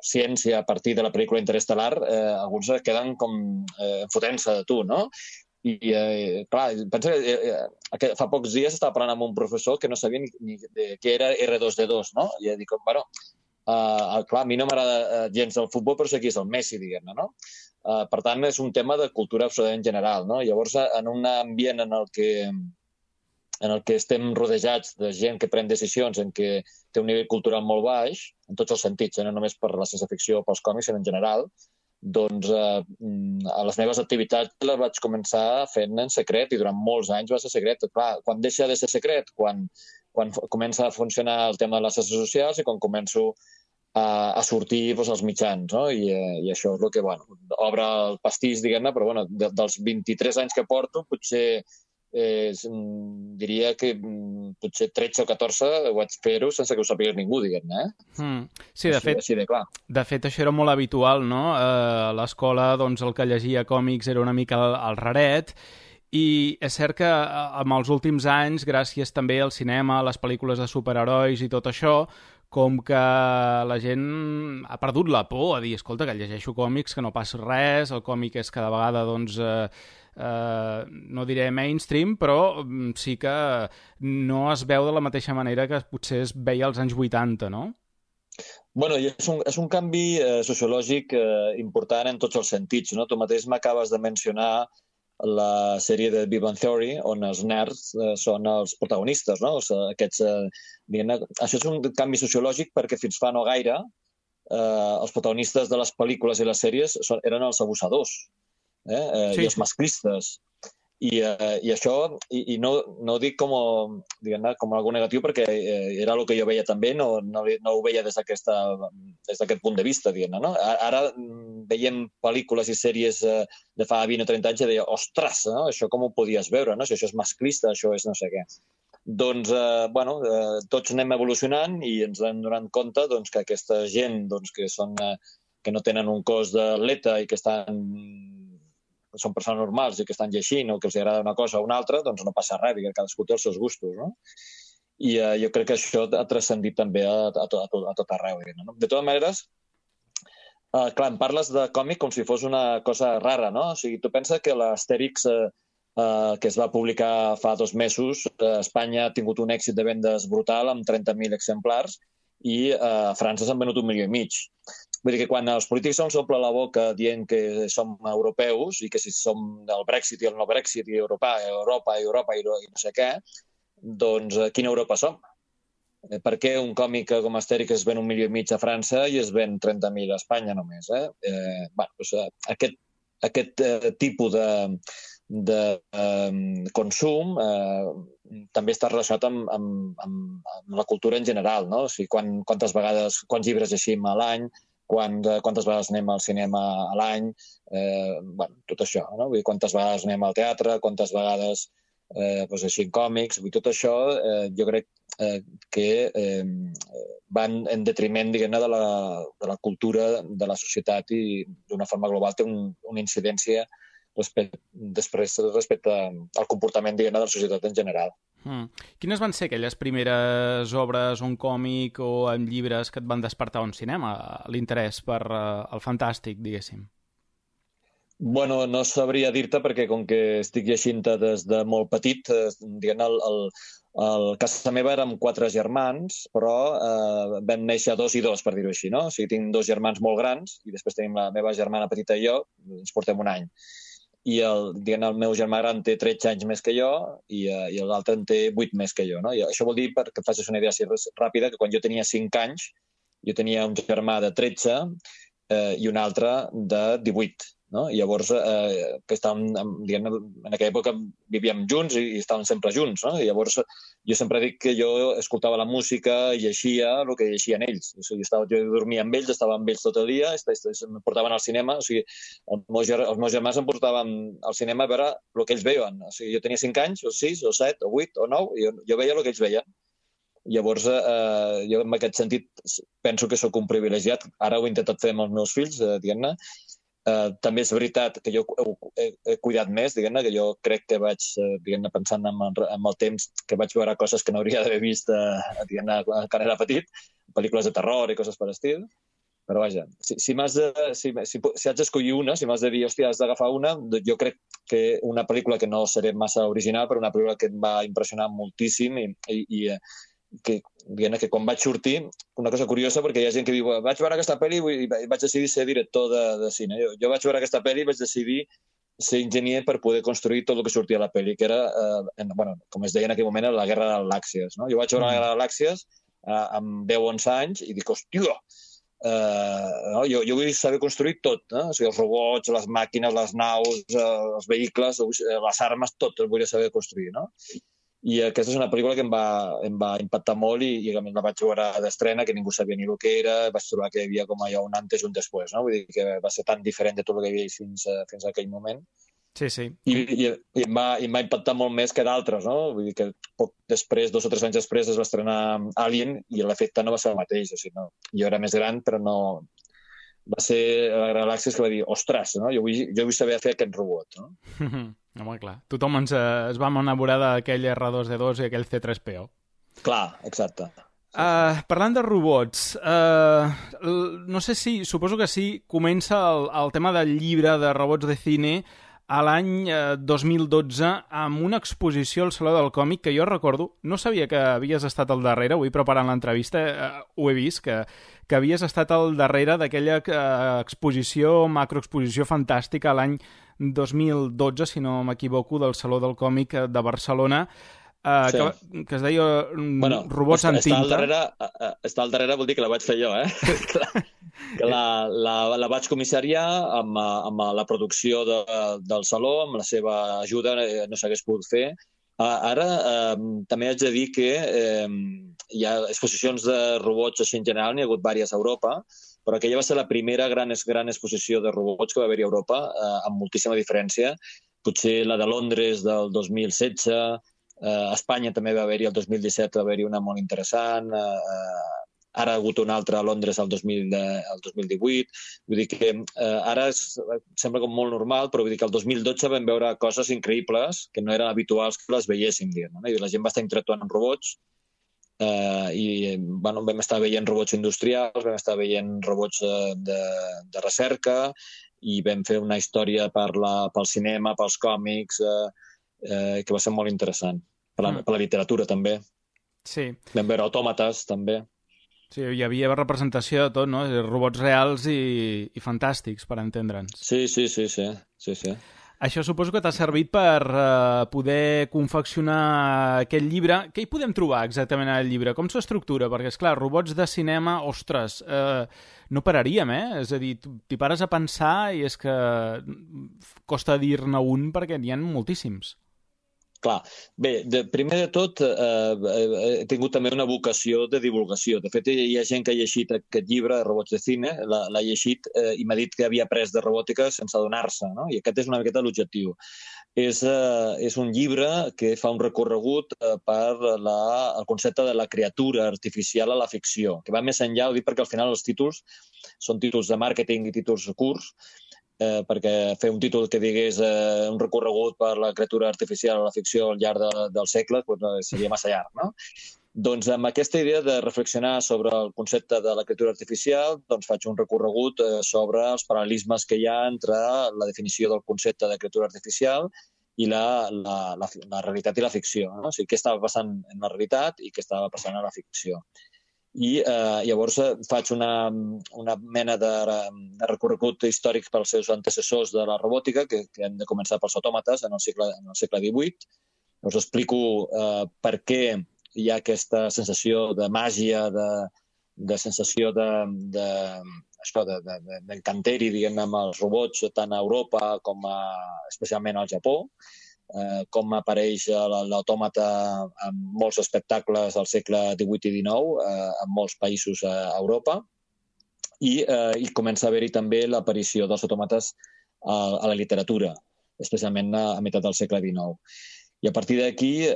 ciència a partir de la pel·lícula Interestelar, alguns queden com fotent-se de tu, no? I clar, pensa que fa pocs dies estava parlant amb un professor que no sabia ni què era R2D2, no? I dic, bueno, clar, a mi no m'agrada gens el futbol, però sé qui és el Messi, diguem-ne, no? Per tant, és un tema de cultura absolutament general, no? Llavors, en un ambient en el que estem rodejats de gent que pren decisions, en què té un nivell cultural molt baix, en tots els sentits, no només per la ciència-ficció o pels còmics, sinó en general, doncs a les meves activitats les vaig començar fent en secret i durant molts anys va ser secret. Clar, quan deixa de ser secret? Quan comença a funcionar el tema de les xarxes socials i quan començo a sortir als mitjans, no? I això és el que obre el pastís, diguem-ne, però dels 23 anys que porto, potser diria que potser 13 o 14 ho vaig fer-ho sense que ho sàpiga ningú, diguem-ne. Sí, de fet això era molt habitual, no? A l'escola el que llegia còmics era una mica el raret, i és cert que amb els últims anys, gràcies també al cinema, a les pel·lícules de superherois i tot això, com que la gent ha perdut la por a dir, escolta, que llegeixo còmics, que no passa res, el còmic és cada vegada, no diré mainstream, però sí que no es veu de la mateixa manera que potser es veia als anys 80, no? Bueno, és un canvi sociològic important en tots els sentits, no? Tu mateix m'acabes de mencionar la sèrie de Big Bang Theory, on els nerds són els protagonistes, no? Això és un canvi sociològic perquè fins fa no gaire els protagonistes de les pel·lícules i les sèries eren els abusadors i els masclistes. I això, i no ho dic com algo negatiu, perquè era el que jo veia també, no ho veia des d'aquest punt de vista, no? Ara veiem pel·lícules i sèries de fa 20 o 30 anys i deia, ostres, no? Això com ho podies veure, no? Si això és masclista, això és no sé què. Doncs, tots anem evolucionant i ens hem donat compte que aquesta gent que no tenen un cos d'atleta i que són persones normals i que estan llegint o que els agrada una cosa o una altra, doncs no passa res, perquè cadascú té els seus gustos, no? I jo crec que això ha transcendit també a tot arreu. No? De totes maneres, clar, em parles de còmic com si fos una cosa rara, no? O sigui, tu penses que l'Astèrix, que es va publicar fa 2 mesos, a Espanya ha tingut un èxit de vendes brutal amb 30.000 exemplars i a França s'han venut 1,5 milió. Vull dir que quan els polítics ens omple la boca dient que som europeus i que si som del Brexit i el no Brexit i Europa i no sé què, doncs quina Europa som? Per què un còmic com Astèrix es ven 1,5 milió a França i es ven 30.000 a Espanya només? Aquest tipus de consum també està relacionat amb la cultura en general, no? O sigui, quants llibres llegim a l'any, quantes vegades anem al cinema a l'any, tot això, no? Vull dir, quantes vegades anem al teatre, quantes vegades així còmics, tot això jo crec que van en detriment, diguem-ne, de la cultura de la societat i d'una forma global té una incidència respecte al comportament, diguem-ne, de la societat en general. Quines van ser aquelles primeres obres, un còmic o en llibres que et van despertar un cinema, l'interès per el fantàstic, diguéssim? Bueno, no sabria dir-te perquè com que estic llegint-te des de molt petit, diguem-ne, a casa meva érem 4 germans, però vam néixer 2 i 2, per dir-ho així, no? O sigui, tinc 2 germans molt grans i després tenim la meva germana petita i jo, ens portem 1 any. I el meu germà gran té 13 anys més que jo i l'altre en té 8 més que jo. No? I això vol dir, perquè et facis una idea així ràpida, que quan jo tenia 5 anys, jo tenia un germà de 13 i un altre de 18. No? I llavors, que estàvem, diguem, en aquella època vivíem junts i estàvem sempre junts. No? I llavors jo sempre dic que jo escoltava la música i llegia el que llegien ells. O sigui, jo dormia amb ells, estava amb ells tot el dia, em portaven al cinema. O sigui, els meus germans em portaven al cinema a veure el que ells veien. O sigui, jo tenia 5 anys, o 6, o 7, o 8, o 9, i jo veia el que ells veien. Llavors, jo en aquest sentit penso que sóc un privilegiat. Ara ho he intentat fer amb els meus fills, diguem-ne. També és veritat que jo he cuidat més, diguem-ne, que jo crec que vaig, diguem-ne, pensant en el temps, que vaig veure coses que no hauria d'haver vist, diguem-ne, quan era petit, pel·lícules de terror i coses per estil. Però vaja, si haig d'escollir una, si m'has de dir, hòstia, has d'agafar una, jo crec que una pel·lícula que no seré massa original, però una pel·lícula que em va impressionar moltíssim i que quan vaig sortir, una cosa curiosa, perquè hi ha gent que diu, vaig veure aquesta pel·li i vaig decidir ser director de cine. Jo vaig veure aquesta pel·li i vaig decidir ser enginyer per poder construir tot el que sortia a la pel·li, que era, com es deia en aquell moment, la Guerra de les Galàxies. No? Jo vaig veure la Guerra de les Galàxies amb 10-11 anys i dic, hòstia, jo vull saber construir tot, o sigui, els robots, les màquines, les naus, els vehicles, les armes, tot el vull saber construir, no? I aquesta és una pel·lícula que em va impactar molt i a més la vaig veure d'estrena, que ningú sabia ni el que era, vaig trobar que hi havia com allò un antes i un després, no? Vull dir que va ser tan diferent de tot el que hi havia fins a aquell moment. Sí, sí. I em va impactar molt més que d'altres, no? Vull dir que poc després, 2 o 3 anys després, es va estrenar Alien i l'efecte no va ser el mateix. O sigui, no? Jo era més gran, però no... Va ser la Galàxia que va dir, ostres, no? Jo vull saber fer aquest robot, no? Home, clar. Tothom es vam enamorar d'aquell R2-D2 i aquell C3PO. Clar, exacte. Parlant de robots, no sé si, suposo que sí, comença el tema del llibre de robots de cine a l'any 2012 amb una exposició al Saló del Còmic que jo recordo, no sabia que havies estat al darrere, avui preparant l'entrevista ho he vist, que havies estat al darrere d'aquella exposició, macroexposició fantàstica l'any 2012, si no m'equivoco, del Saló del Còmic de Barcelona, que es deia Robots en tinta. Estar al darrere vol dir que la vaig fer jo, que la vaig comissariar amb la producció del saló, amb la seva ajuda no s'hagués pogut fer. Ara també haig de dir que hi ha exposicions de robots així en general, n'hi ha hagut diverses a Europa, però aquella va ser la primera gran exposició de robots que va haver-hi a Europa, amb moltíssima diferència. Potser la de Londres del 2016, a Espanya també va haver-hi el 2017, va haver-hi una molt interessant, ara ha hagut una altra a Londres el 2018, vull dir que ara sembla com molt normal, però vull dir que el 2012 vam veure coses increïbles que no eren habituals que les veiéssim, no? I la gent va estar interactuant amb robots, i bueno, vam estar veient robots industrials, vam estar veient robots de recerca, i vam fer una història pel cinema, pels còmics, que va ser molt interessant. Per la literatura, també. Sí. Vam veure autòmates, també. Sí, hi havia representació de tot, no? Robots reals i fantàstics, per entendre'ns. Sí. Això suposo que t'ha servit per poder confeccionar aquest llibre. Què hi podem trobar exactament al llibre? Com s'estructura? Perquè, esclar, robots de cinema, ostres, no pararíem, eh? És a dir, t'hi pares a pensar i és que costa dir-ne un perquè n'hi ha moltíssims. Clar, bé, primer de tot he tingut també una vocació de divulgació. De fet, hi ha gent que ha llegit aquest llibre, Robots de Cine, l'ha llegit i m'ha dit que havia après de robòtica sense adonar-se, no? I aquest és una miqueta l'objectiu. És un llibre que fa un recorregut per el concepte de la criatura artificial a la ficció, que va més enllà, ho dic perquè al final els títols són títols de màrqueting i títols curts, perquè fer un títol que digués un recorregut per la criatura artificial a la ficció al llarg del segle seria massa llarg, no? Doncs amb aquesta idea de reflexionar sobre el concepte de la criatura artificial, doncs faig un recorregut sobre els paral·lelismes que hi ha entre la definició del concepte de criatura artificial i la realitat i la ficció, no? O sigui, què estava passant en la realitat i què estava passant a la ficció. I llavors faig una mena de recorregut històric pels seus antecessors de la robòtica, que hem de començar pels autòmates en el segle XVIII. Us explico per què hi ha aquesta sensació de màgia, de sensació d'encanteri, diguem-ne, amb els robots, tant a Europa com especialment al Japó, com apareix l'autòmata en molts espectacles al segle XVIII i XIX, en molts països a Europa, i comença a haver-hi també l'aparició dels autòmates a la literatura, especialment a meitat del segle XIX. I a partir d'aquí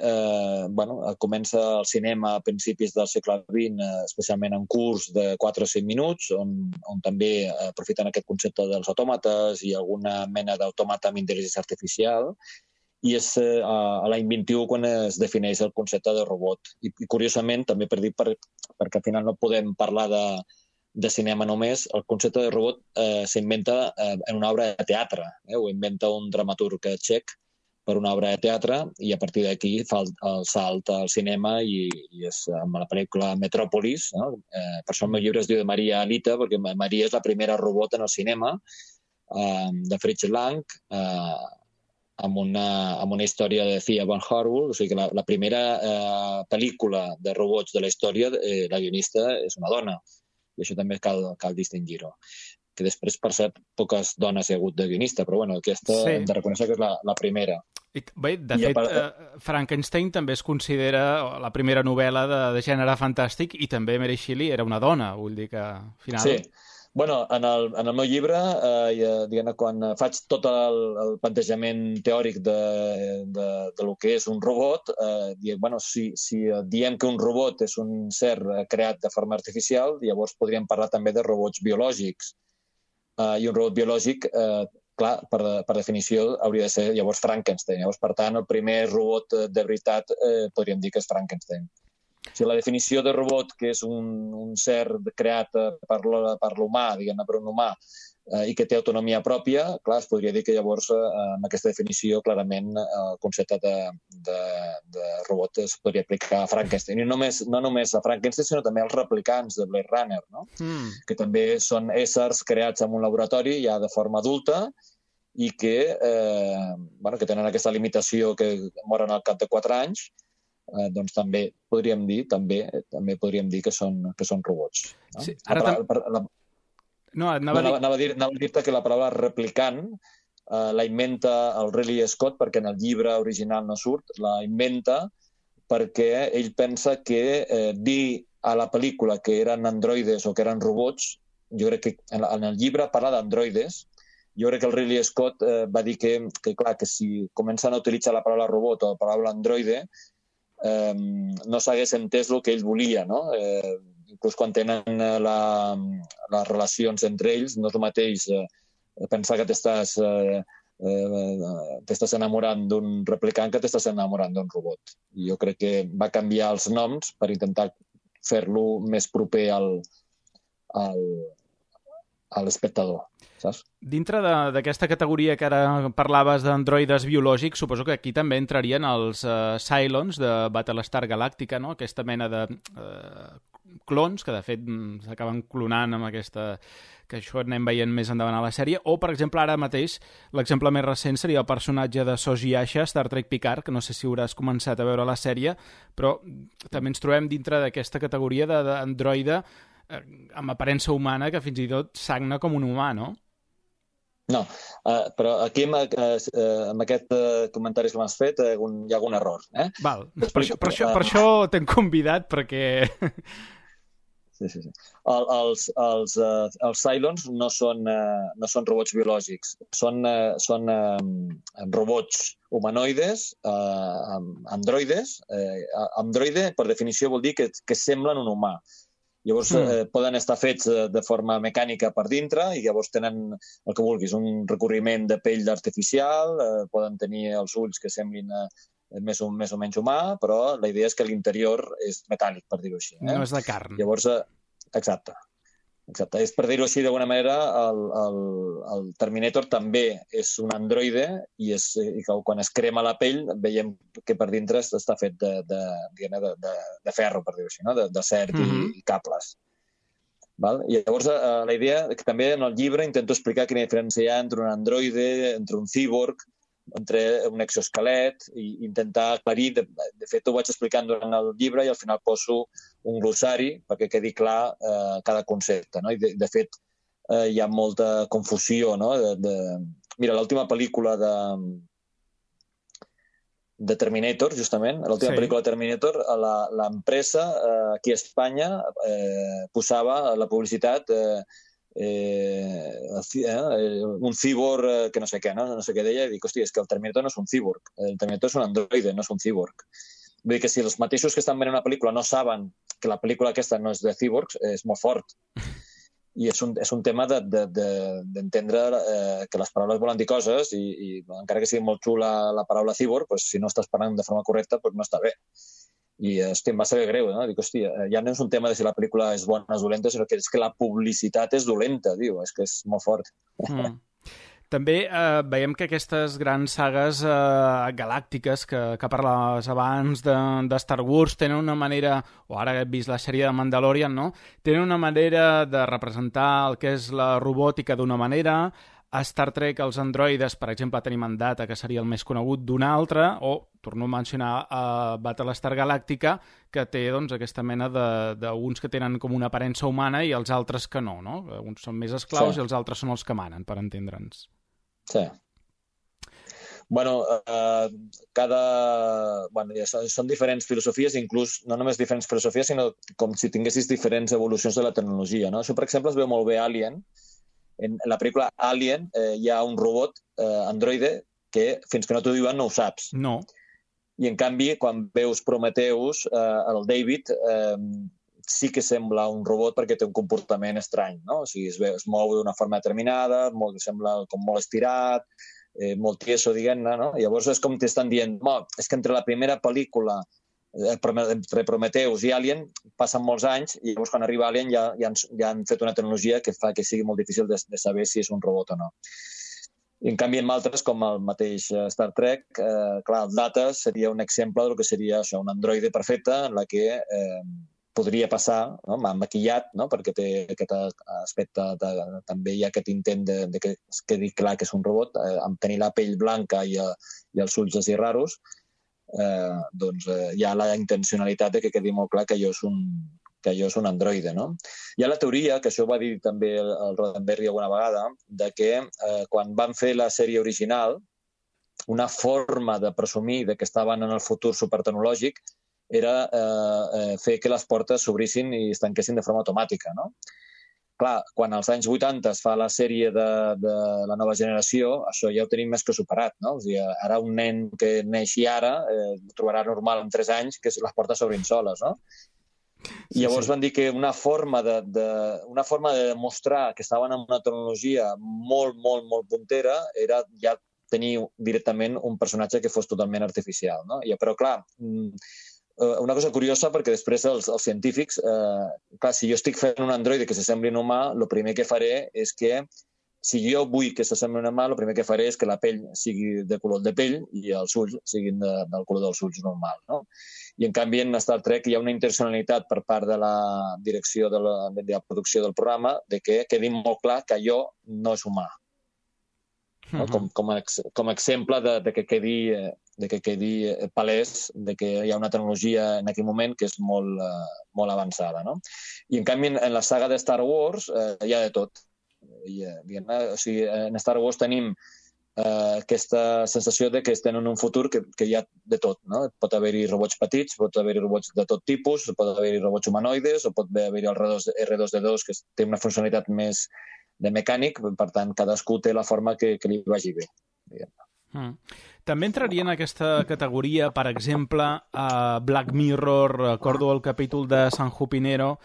comença el cinema a principis del segle XX, especialment en curs de 4 o 5 minuts, on també aprofiten aquest concepte dels autòmates i alguna mena d'autòmata amb intel·ligència artificial, i és a l'any 21 quan es defineix el concepte de robot. I curiosament, també per dir, perquè al final no podem parlar de cinema només, el concepte de robot s'inventa en una obra de teatre. Ho inventa un dramaturg txec per una obra de teatre i a partir d'aquí fa el salt al cinema i és amb la pel·lícula Metròpolis. No? Per això el meu llibre es diu de Maria Alita, perquè Maria és la primera robot en el cinema, de Fritz Lang, amb una història de Thea van Harwood, o sigui que la primera pel·lícula de robots de la història, la guionista és una dona, i això també cal distingir-ho. Que després, per cert, poques dones hi ha hagut de guionista, però bueno, aquesta hem de reconèixer que és la primera. Bé, de fet, Frankenstein també es considera la primera novel·la de gènere fantàstic i també Mary Shelley era una dona, vull dir que al final... Sí. Bueno, en el meu llibre, quan faig tot el plantejament teòric de lo que és un robot, si diem que un robot és un ser creat de forma artificial, llavors podríem parlar també de robots biològics. I un robot biològic, clar, per definició, hauria de ser llavors Frankenstein. Llavors, per tant, el primer robot de veritat podríem dir que és Frankenstein. O sigui, la definició de robot, que és un ser creat per l'humà, diguem-ne, per un humà, i que té autonomia pròpia, clar, es podria dir que llavors, amb aquesta definició, clarament, el concepte de robot es podria aplicar a Frankenstein. I no només a Frankenstein, sinó també als replicants de Blade Runner, no? Que també són éssers creats en un laboratori ja de forma adulta i que tenen aquesta limitació que moren al cap de 4 anys, doncs també podríem dir que són robots. No? Sí, No, anava a dir-te que la paraula replicant la inventa el Ridley Scott perquè en el llibre original no surt, la inventa perquè ell pensa que dir a la pel·lícula que eren androides o que eren robots, jo crec que en el llibre parla d'androides, jo crec que el Ridley Scott va dir que clar, que si comencen a utilitzar la paraula robot o la paraula androide, no s'hagués entès el que ell volia, no? Inclús quan tenen les relacions entre ells, no és el mateix pensar que t'estàs enamorant d'un replicant que t'estàs enamorant d'un robot. I jo crec que va canviar els noms per intentar fer-lo més proper a l'espectador, saps? Dintre d'aquesta categoria que ara parlaves d'androides biològics, suposo que aquí també entrarien els Cylons de Battlestar Galactica, no? Aquesta mena de clons que de fet s'acaben clonant amb aquesta... que això anem veient més endavant a la sèrie, o per exemple ara mateix l'exemple més recent seria el personatge de Soji Asha, Star Trek Picard, que no sé si hauràs començat a veure la sèrie, però també ens trobem dintre d'aquesta categoria d'androide amb aparença humana que fins i tot sagna com un humà, no? No, però aquí amb aquest comentari que m'has fet hi ha algun error. Val, per això t'hem convidat, perquè... Sí. Els Cylons no són robots biològics, són robots humanoides, androides. Androide, per definició, vol dir que semblen un humà. Llavors poden estar fets de forma mecànica per dintre i llavors tenen el que vulguis, un recorriment de pell artificial, poden tenir els ulls que semblin més o menys humà, però la idea és que l'interior és metàl·lic, per dir-ho així. No és de carn. Llavors, exacte. És per dir-ho així d'alguna manera, el Terminator també és un androide i quan es crema la pell veiem que per dintre està fet de ferro, per dir-ho així, no? D'acer i cables. Val? I llavors la idea que també en el llibre intento explicar quina diferència hi ha entre un androide, entre un cíborg, entre un exoesquelet, i intentar aclarir, de fet ho vaig explicant durant el llibre i al final poso un glossari perquè quedi clar cada concepte, no? I de fet hi ha molta confusió, no? Mira, l'última pel·lícula de Terminator, justament, l'última pel·lícula de Terminator, l'empresa aquí a Espanya posava la publicitat un cíborg que no sé què, no sé què deia, i dic, hòstia, és que el Terminator no és un cíborg, el Terminator és un androide, no és un cíborg. Vull dir que si els mateixos que estan veient una pel·lícula no saben que la pel·lícula aquesta no és de cíborgs, és molt fort. I és un tema d'entendre que les paraules volen dir coses i encara que sigui molt xula la paraula cíborg, si no estàs parlant de forma correcta, no està bé. I, hòstia, em va saber greu, no? Dic, hòstia, ja no és un tema de si la pel·lícula és bona o és dolenta, sinó que és que la publicitat és dolenta, diu, és que és molt fort. També veiem que aquestes grans sagues galàctiques que parlaves abans de Star Wars tenen una manera, o ara he vist la sèrie de Mandalorian, no? Tenen una manera de representar el que és la robòtica d'una manera. A Star Trek els androides, per exemple, tenim en Data, que seria el més conegut, d'una altra, o, torno a mencionar, a Battlestar Galàctica, que té aquesta mena d'uns que tenen com una aparença humana i els altres que no, no? Uns són més esclaus i els altres són els que manen, per entendre'ns. Sí. Són diferents filosofies, inclús no només diferents filosofies, sinó com si tinguessis diferents evolucions de la tecnologia, no? Això, per exemple, es veu molt bé a Alien. En la pel·lícula Alien hi ha un robot androide que fins que no t'ho diuen no ho saps. No. I en canvi, quan veus Prometheus, el David sí que sembla un robot perquè té un comportament estrany, no? O sigui, es mou d'una forma determinada, sembla com molt estirat, molt tieso, diguem-ne, no? Llavors és com t'estan dient, és que entre la primera pel·lícula entre Prometheus i Alien passen molts anys i llavors quan arriba Alien ja han fet una tecnologia que fa que sigui molt difícil de saber si és un robot o no. I en canvi, en altres, com el mateix Star Trek, clar, el Data seria un exemple del que seria això, un androide perfecte en la que podria passar, no? Maquillat, no? Perquè té aquest aspecte, també hi ha aquest intent de que es quedi clar que és un robot, amb tenir la pell blanca i els ulls així raros, hi ha la intencionalitat de que quedi molt clar que allò és que jo és un androide, no? Hi ha la teoria, que això ho va dir també el Roddenberry alguna vegada, de que quan van fer la sèrie original, una forma de presumir de que estaven en el futur supertecnològic era fer que les portes s'obrissin i es tanquessin de forma automàtica, no? Clar, quan als anys 80 es fa la sèrie de la nova generació, això ja ho tenim més que superat, no? O sigui, ara un nen que neixi ara trobarà normal en 3 anys que les portes s'obrin soles, no? I llavors van dir que una forma de demostrar que estaven en una tecnologia molt, molt, molt puntera era ja tenir directament un personatge que fos totalment artificial, no? Però, clar, una cosa curiosa, perquè després els científics, clar, si jo estic fent un androide que s'assembli a un humà, el primer que faré és que, si jo vull que s'assembli a un humà, el primer que faré és que la pell sigui de color de pell i els ulls siguin del color dels ulls normal, no? I, en canvi, en Star Trek hi ha una intencionalitat per part de la direcció de la producció del programa de que quedi molt clar que allò no és humà. No? Com a exemple de que quedi palès de que hi ha una tecnologia en aquell moment que és molt, molt avançada, no? I, en canvi, en la saga de Star Wars hi ha de tot. O sigui, en Star Wars tenim aquesta sensació de que estem en un futur que hi ha de tot, no? Pot haver-hi robots petits, pot haver-hi robots de tot tipus, pot haver-hi robots humanoides, o pot haver-hi el R2-D2, que té una funcionalitat més de mecànic, per tant, cadascú té la forma que li vagi bé. També entraria en aquesta categoria, per exemple, a Black Mirror, recordo el capítol de San Junipero,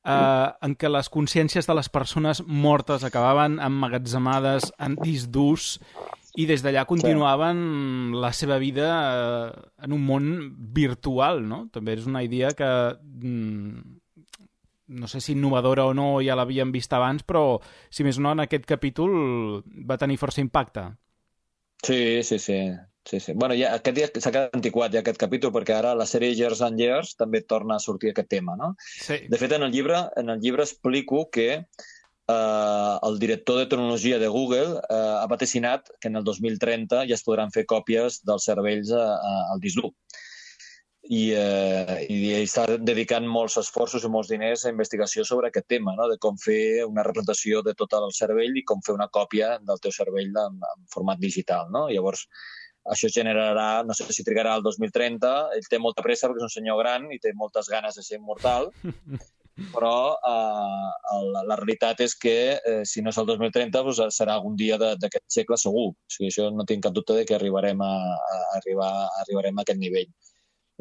en què les consciències de les persones mortes acabaven emmagatzemades en discs durs i des d'allà continuaven la seva vida en un món virtual, no? També és una idea que no sé si innovadora o no, ja l'havíem vist abans, però si més no en aquest capítol va tenir força impacte. Sí. Bueno, aquest dia s'ha quedat antiquat, ja, aquest capítol, perquè ara la sèrie Years and Years també torna a sortir aquest tema, no? Sí. De fet, en el llibre explico que el director de tecnologia de Google ha vaticinat que en el 2030 ja es podran fer còpies dels cervells al disc dur. I està dedicant molts esforços i molts diners a investigació sobre aquest tema, no? De com fer una representació de tot el cervell i com fer una còpia del teu cervell en format digital, no? Llavors, això generarà, no sé si trigarà el 2030, ell té molta pressa perquè és un senyor gran i té moltes ganes de ser immortal, però la realitat és que si no és el 2030 doncs serà algun dia d'aquest segle segur. O sigui, això no tinc cap dubte de que arribarem a aquest nivell.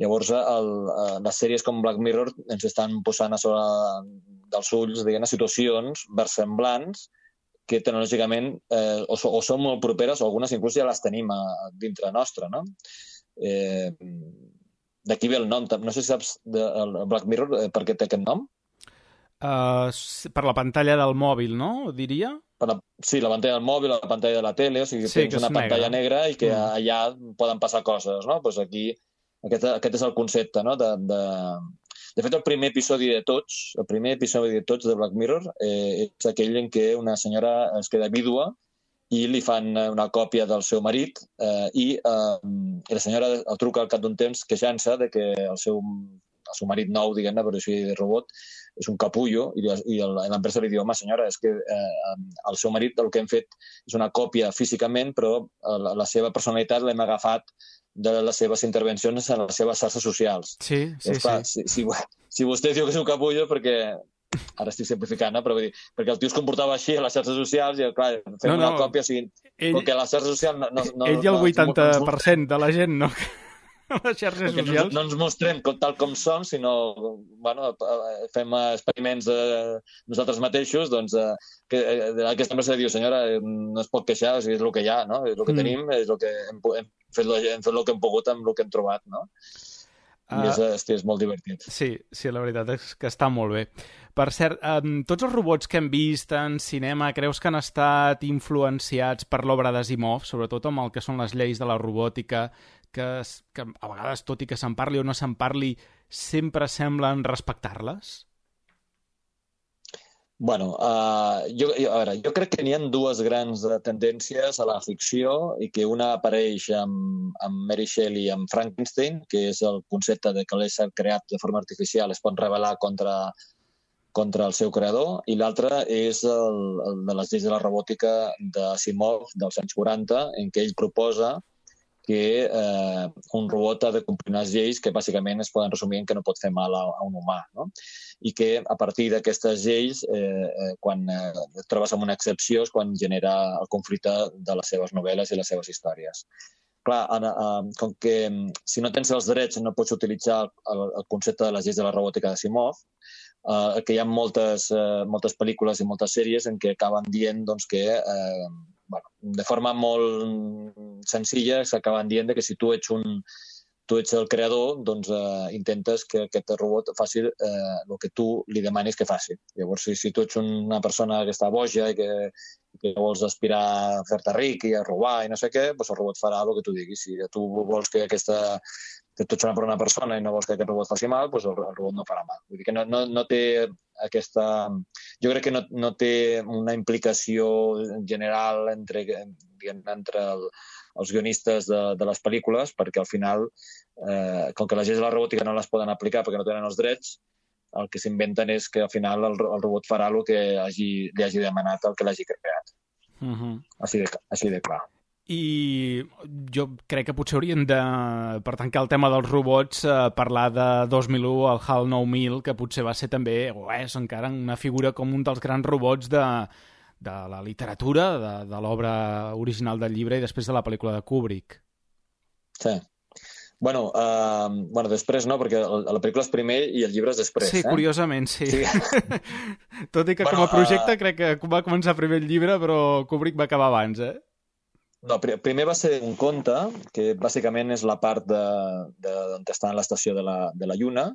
Llavors, les sèries com Black Mirror ens estan posant a sobre dels ulls, diguem, situacions versemblants que tecnològicament o són molt properes o algunes inclús ja les tenim dintre nostra, no? D'aquí ve el nom. No sé si saps el Black Mirror per què té aquest nom. Per la pantalla del mòbil, no? Diria? Sí, la pantalla del mòbil, la pantalla de la tele, o sigui, tens una pantalla negra i que allà poden passar coses, no? Doncs aquí aquest és el concepte, no? De fet, el primer episodi de tots, de Black Mirror és aquell en què una senyora es queda vídua i li fan una còpia del seu marit i la senyora el truca al cap d'un temps queixant-se de que el seu marit nou, diguem-ne, per així de robot, és un capullo i l'empresa li diu, home, senyora, és que el seu marit el que hem fet és una còpia físicament, però la seva personalitat l'hem agafat de les seves intervencions en les seves xarxes socials. Sí. Si vostè diu que és un capullo, perquè ara estic simplificant, però vull dir, perquè el tio es comportava així a les xarxes socials i, clar, fem una còpia, o sigui, perquè a les xarxes socials... Ell i el 80% de la gent, no? Les xarxes socials. No ens mostrem tal com som, sinó fem experiments nosaltres mateixos, doncs aquesta empresa diu, senyora, no es pot queixar, o sigui, és el que hi ha, no? És el que tenim, és el que hem fet el que hem pogut amb el que hem trobat, no? I és molt divertit. Sí, la veritat és que està molt bé. Per cert, tots els robots que hem vist en cinema, creus que han estat influenciats per l'obra d'Asimov, sobretot amb el que són les lleis de la robòtica, que a vegades, tot i que se'n parli o no se'n parli, sempre semblen respectar-les? Bueno, a veure, jo crec que n'hi ha dues grans tendències a la ficció i que una apareix amb Mary Shelley i amb Frankenstein, que és el concepte de que l'ésser creat de forma artificial es pot rebel·lar contra el seu creador, i l'altra és el de les lleis de la robòtica d'Asimov dels anys 40, en què ell proposa que un robot ha de complir unes lleis que bàsicament es poden resumir en que no pot fer mal a un humà, no? I que a partir d'aquestes lleis, quan et trobes amb una excepció, és quan genera el conflicte de les seves novel·les i les seves històries. Clar, com que si no tens els drets no pots utilitzar el concepte de les lleis de la robòtica d'Asimov, que hi ha moltes pel·lícules i moltes sèries en què acaben dient doncs, que de forma molt senzilla s'acaben dient que si tu ets el creador, doncs intentes que aquest robot faci el que tu li demanis que faci. Llavors, si tu ets una persona que està boja i que vols aspirar a fer-te ric i a robar i no sé què, doncs el robot farà el que tu diguis. Si tu vols que tu ets una bona persona i no vols que aquest robot faci mal, doncs el robot no farà mal. Vull dir que no té aquesta... Jo crec que no té una implicació general entre els guionistes de les pel·lícules, perquè al final, com que les lleis de la robòtica no les poden aplicar perquè no tenen els drets, el que s'inventen és que al final el robot farà el que li hagi demanat el que l'hagi creat. Així de clar. I jo crec que potser hauríem de, per tancar el tema dels robots, parlar de 2001, el HAL 9000, que potser va ser també, o és encara una figura com un dels grans robots de la literatura, de l'obra original del llibre i després de la pel·lícula de Kubrick. Sí. Bueno, després no, perquè la pel·lícula és primer i el llibre és després. Sí, curiosament, sí. Tot i que com a projecte crec que va començar primer el llibre, però Kubrick va acabar abans, No, primer va ser un conte, que bàsicament és la part on està en l'estació de la Lluna.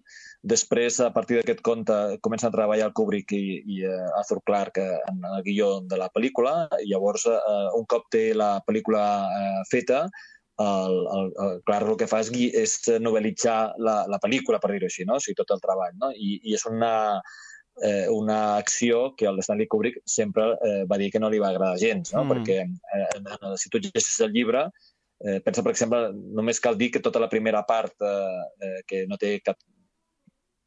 Després, a partir d'aquest conte, comença a treballar el Kubrick i Arthur Clarke en el guió de la pel·lícula. I llavors, un cop té la pel·lícula feta, el Clarke el que fa és novel·litzar la pel·lícula, per dir-ho així, no? O sigui, tot el treball, no? I és una acció que el Stanley Kubrick sempre va dir que no li va agradar gens, no? Perquè si tu llegeixes el llibre, pensa, per exemple, només cal dir que tota la primera part, que no té cap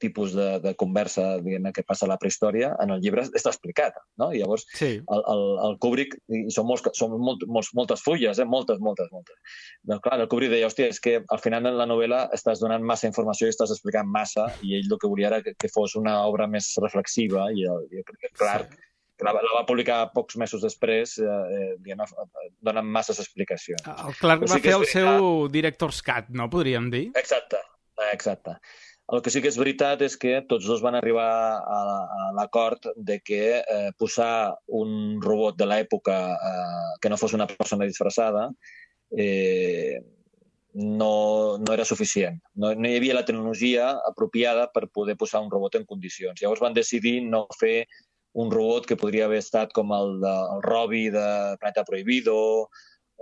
tipus de conversa, diguem-ne, que passa a la prehistòria, en el llibre està explicat, no? I llavors, el Kubrick, i són moltes fulles, moltes. Doncs clar, el Kubrick deia, hòstia, és que al final en la novel·la estàs donant massa informació i estàs explicant massa, i ell el que volia era que fos una obra més reflexiva, i Clark, que la va publicar pocs mesos després, dona masses explicacions. El Clark va fer el seu director's cut, no? Podríem dir? Exacte. El que sí que és veritat és que tots dos van arribar a l'acord de que posar un robot de l'època que no fos una persona disfressada no era suficient. No hi havia la tecnologia apropiada per poder posar un robot en condicions. Llavors van decidir no fer un robot que podria haver estat com el Robbie de Planeta Prohibido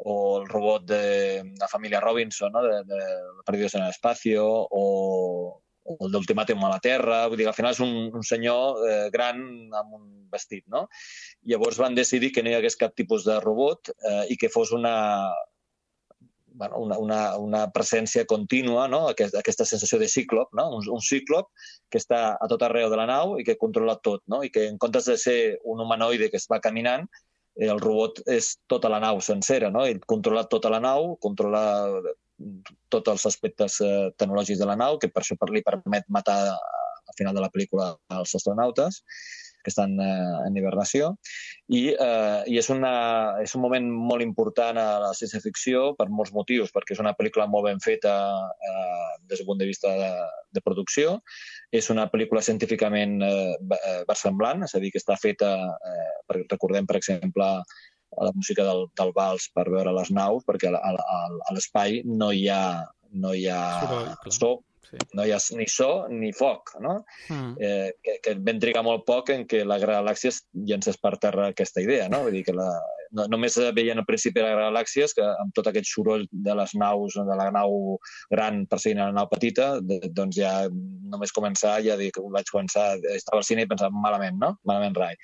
o el robot de la família Robinson, no? de Perdidos en el Espacio, o el d'Ultimàtum a la Terra. Vull dir, al final és un senyor gran amb un vestit, no? Llavors van decidir que no hi hagués cap tipus de robot i que fos una presència contínua, no? Aquesta sensació de cíclop, no? Un cíclop que està a tot arreu de la nau i que controla tot, no? I que en comptes de ser un humanoide que es va caminant, el robot és tota la nau sencera, no? Ell controla tota la nau, controla tots els aspectes tecnològics de la nau, que per això li permet matar al final de la pel·lícula els astronautes que estan en hibernació. I és un moment molt important a la ciència-ficció per molts motius, perquè és una pel·lícula molt ben feta des del punt de vista de producció. És una pel·lícula científicament versemblant, és a dir, que està feta, recordem, per exemple, la música del vals per veure les naus, perquè a l'espai no hi ha so, no hi ha ni so ni foc, no? Que ben trigar molt poc en què la galàxia llencés per terra aquesta idea, no? Vull dir que només veien al principi de les galàxies, que amb tot aquest soroll de les naus, de la nau gran perseguint la nau petita, doncs ja només començar, ja dic, vaig començar, estava al cine i pensava, malament, no? Malament rai.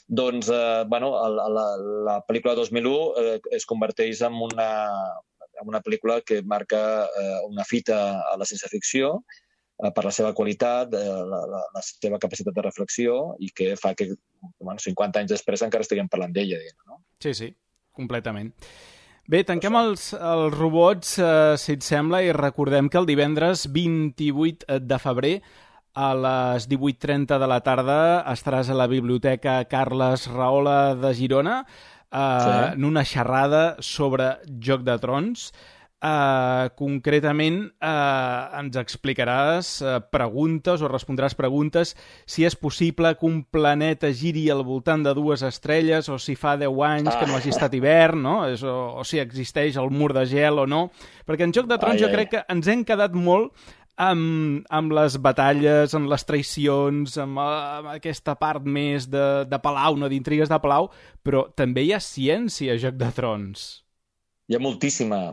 Doncs, la pel·lícula 2001 es converteix en una pel·lícula que marca una fita a la ciència-ficció, per la seva qualitat, la seva capacitat de reflexió i que fa que 50 anys després encara estiguem parlant d'ella. No? Sí, completament. Bé, tanquem els robots, si et sembla, i recordem que el divendres 28 de febrer a les 18:30 de la tarda estaràs a la Biblioteca Carles Rahola de Girona en una xerrada sobre Joc de Trons. Concretament ens explicaràs preguntes o respondràs preguntes si és possible que un planeta giri al voltant de 2 estrelles o si fa 10 anys que no hagi estat hivern, no? O si existeix el mur de gel o no, perquè en Joc de Trons jo crec que ens hem quedat molt amb les batalles, amb les traïcions, amb aquesta part més de palau, no, d'intrigues de palau, però també hi ha ciència a Joc de Trons. Hi ha moltíssima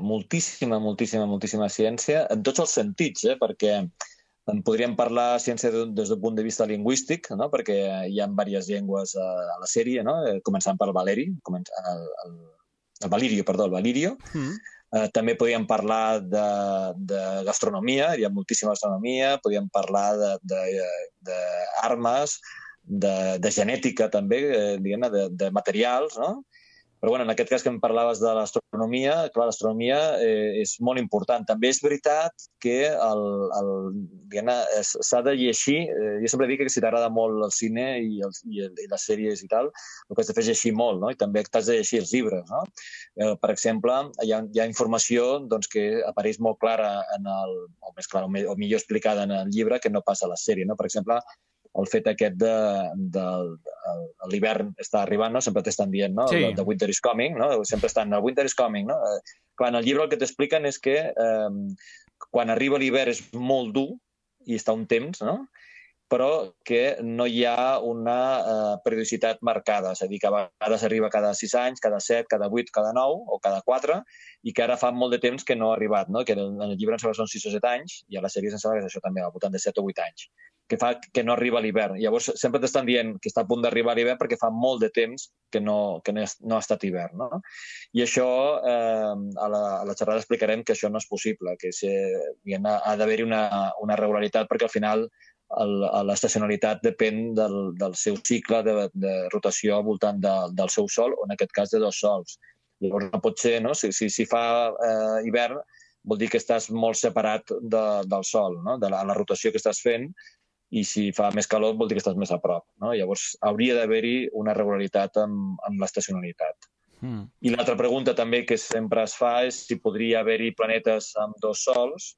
ciència, en tots els sentits, perquè en podríem parlar ciència des del punt de vista lingüístic, no? Perquè hi ha diverses llengües a la sèrie, no? Començant per el Valirio. També podríem parlar de gastronomia, hi ha moltíssima gastronomia, podríem parlar d'armes, de genètica també, de materials, no? Però en aquest cas que em parlaves de l'astronomia, clar, l'astronomia és molt important. També és veritat que s'ha de llegir, jo sempre dic que si t'agrada molt el cine i les sèries i tal, el que has de fer és llegir molt, no? I també t'has de llegir els llibres, no? Per exemple, hi ha informació que apareix molt clara, o més clara, o millor explicada en el llibre, que no passa a la sèrie, no? Per exemple, el fet aquest de l'hivern està arribant, no? Sempre t'estan dient, no? Sí. The winter is coming, no? Sempre estan, el winter is coming, no? Clar, en el llibre el que t'expliquen és que quan arriba l'hivern és molt dur i està un temps, no? Però que no hi ha una periodicitat marcada, és a dir, que a vegades arriba cada 6 anys, cada 7, cada 8, cada 9 o cada 4, i que ara fa molt de temps que no ha arribat, no? Que en el llibre em sembla que són 6 o 7 anys, i a la sèrie em sembla que és això també, al voltant de 7 o 8 anys, que fa que no arriba l'hivern. Llavors sempre t'estan dient que està a punt d'arribar l'hivern perquè fa molt de temps que no ha estat hivern, no? I això, a la xerrada explicarem que això no és possible, que ha d'haver-hi una regularitat perquè al final l'estacionalitat depèn del seu cicle de rotació al voltant del seu sol, o en aquest cas de 2 sols. Llavors no pot ser, no? Si fa hivern vol dir que estàs molt separat del sol, no? De la rotació que estàs fent, i si fa més calor vol dir que estàs més a prop, no? Llavors hauria d'haver-hi una regularitat amb l'estacionalitat. I l'altra pregunta també que sempre es fa és si podria haver-hi planetes amb 2 sols.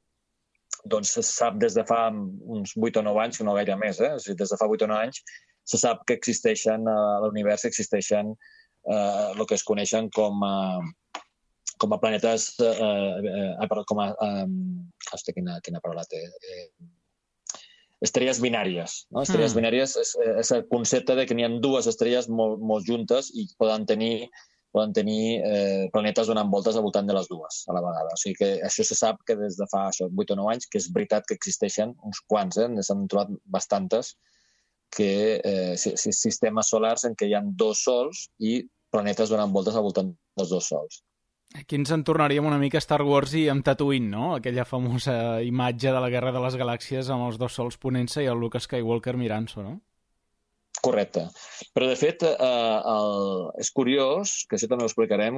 Doncs se sap des de fa uns 8 o 9 anys, no gaire més, des de fa 8 o 9 anys, se sap que existeixen a l'univers, existeixen el que es coneixen com a planetes, quina paraula té? Estrelles binàries. No? Estrelles binàries és el concepte de que n'hi ha 2 estrelles molt juntes i poden tenir planetes donant voltes al voltant de les 2 a la vegada. O sigui que això se sap que des de fa 8 o 9 anys, que és veritat que existeixen uns quants, s'han trobat bastantes, sistemes solars en què hi ha 2 sols i planetes donant voltes al voltant dels 2 sols. Aquí ens en tornaríem una mica a Star Wars i amb Tatooine, no? Aquella famosa imatge de la Guerra de les Galàxies amb els 2 sols ponent-se i el Luke Skywalker mirant-s'ho, no? Correcte. Però, de fet, és curiós, que això també ho explicarem,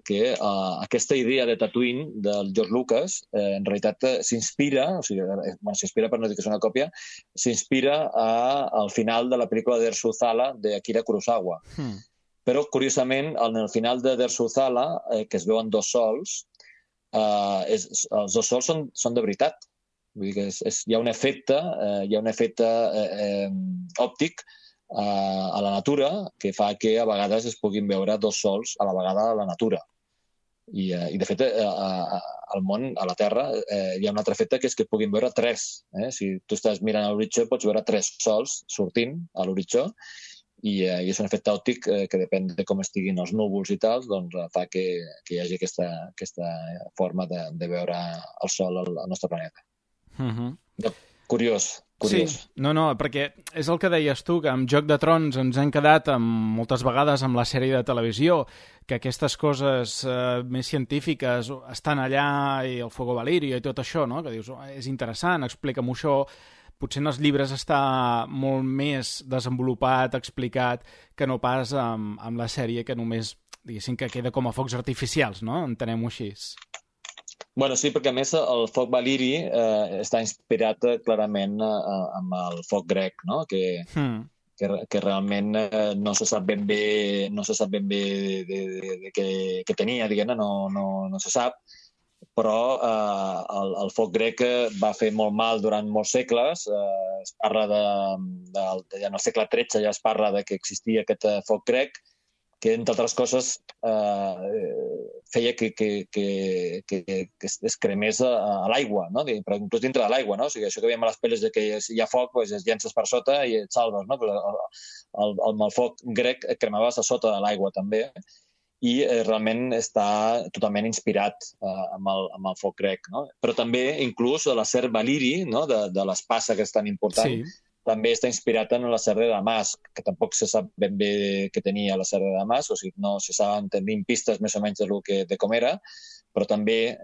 que aquesta idea de Tatooine del George Lucas, en realitat s'inspira, s'inspira per no dir que és una còpia, s'inspira al final de la pel·lícula d'Erzuzala d'Akira Kurosawa. Però, curiosament, en el final de d'Erzuzala, que es veuen 2 sols, els 2 sols són de veritat. Vull dir que hi ha un efecte òptic a la natura que fa que a vegades es puguin veure 2 sols a la vegada a la natura. I de fet, al món, a la Terra, hi ha un altre efecte que és que es puguin veure 3. Si tu estàs mirant a l'horitzó, pots veure 3 sols sortint a l'horitzó, i és un efecte òptic que depèn de com estiguin els núvols i tal, doncs fa que hi hagi aquesta forma de veure el Sol al nostre planeta. Curiós. Sí, no, perquè és el que deies tu, que amb Joc de Trons ens hem quedat moltes vegades amb la sèrie de televisió, que aquestes coses més científiques estan allà, i el Fuego Valirio i tot això, no? Que dius, és interessant, explica'm-ho això. Potser en els llibres està molt més desenvolupat, explicat, que no pas amb la sèrie, que només, diguéssim, que queda com a focs artificials, no? Entenem-ho així. Bueno, sí, perquè a més el foc valiri està inspirat clarament amb el foc grec, no? Que realment no se sap ben bé de què tenia, diguem-ne, no se sap, però el foc grec va fer molt mal durant molts segles. Es parla ja en el segle XIII ja es parla de que existia aquest foc grec, que, entre altres coses, feia que es cremés a l'aigua, no? Però inclús dintre de l'aigua, no? O sigui, això que veiem a les pel·lis de que hi ha foc, doncs es llences per sota i et salves, no? Amb el foc grec et cremaves a sota de l'aigua, també, i realment està totalment inspirat amb el foc grec, no? Però també, inclús, l'acer valiri, no? De l'espasa, que és tan important, també està inspirat en l'acer de Damasc, que tampoc se sap ben bé què tenia l'acer de Damasc, o sigui, no se saben tenir pistes més o menys de com era, però també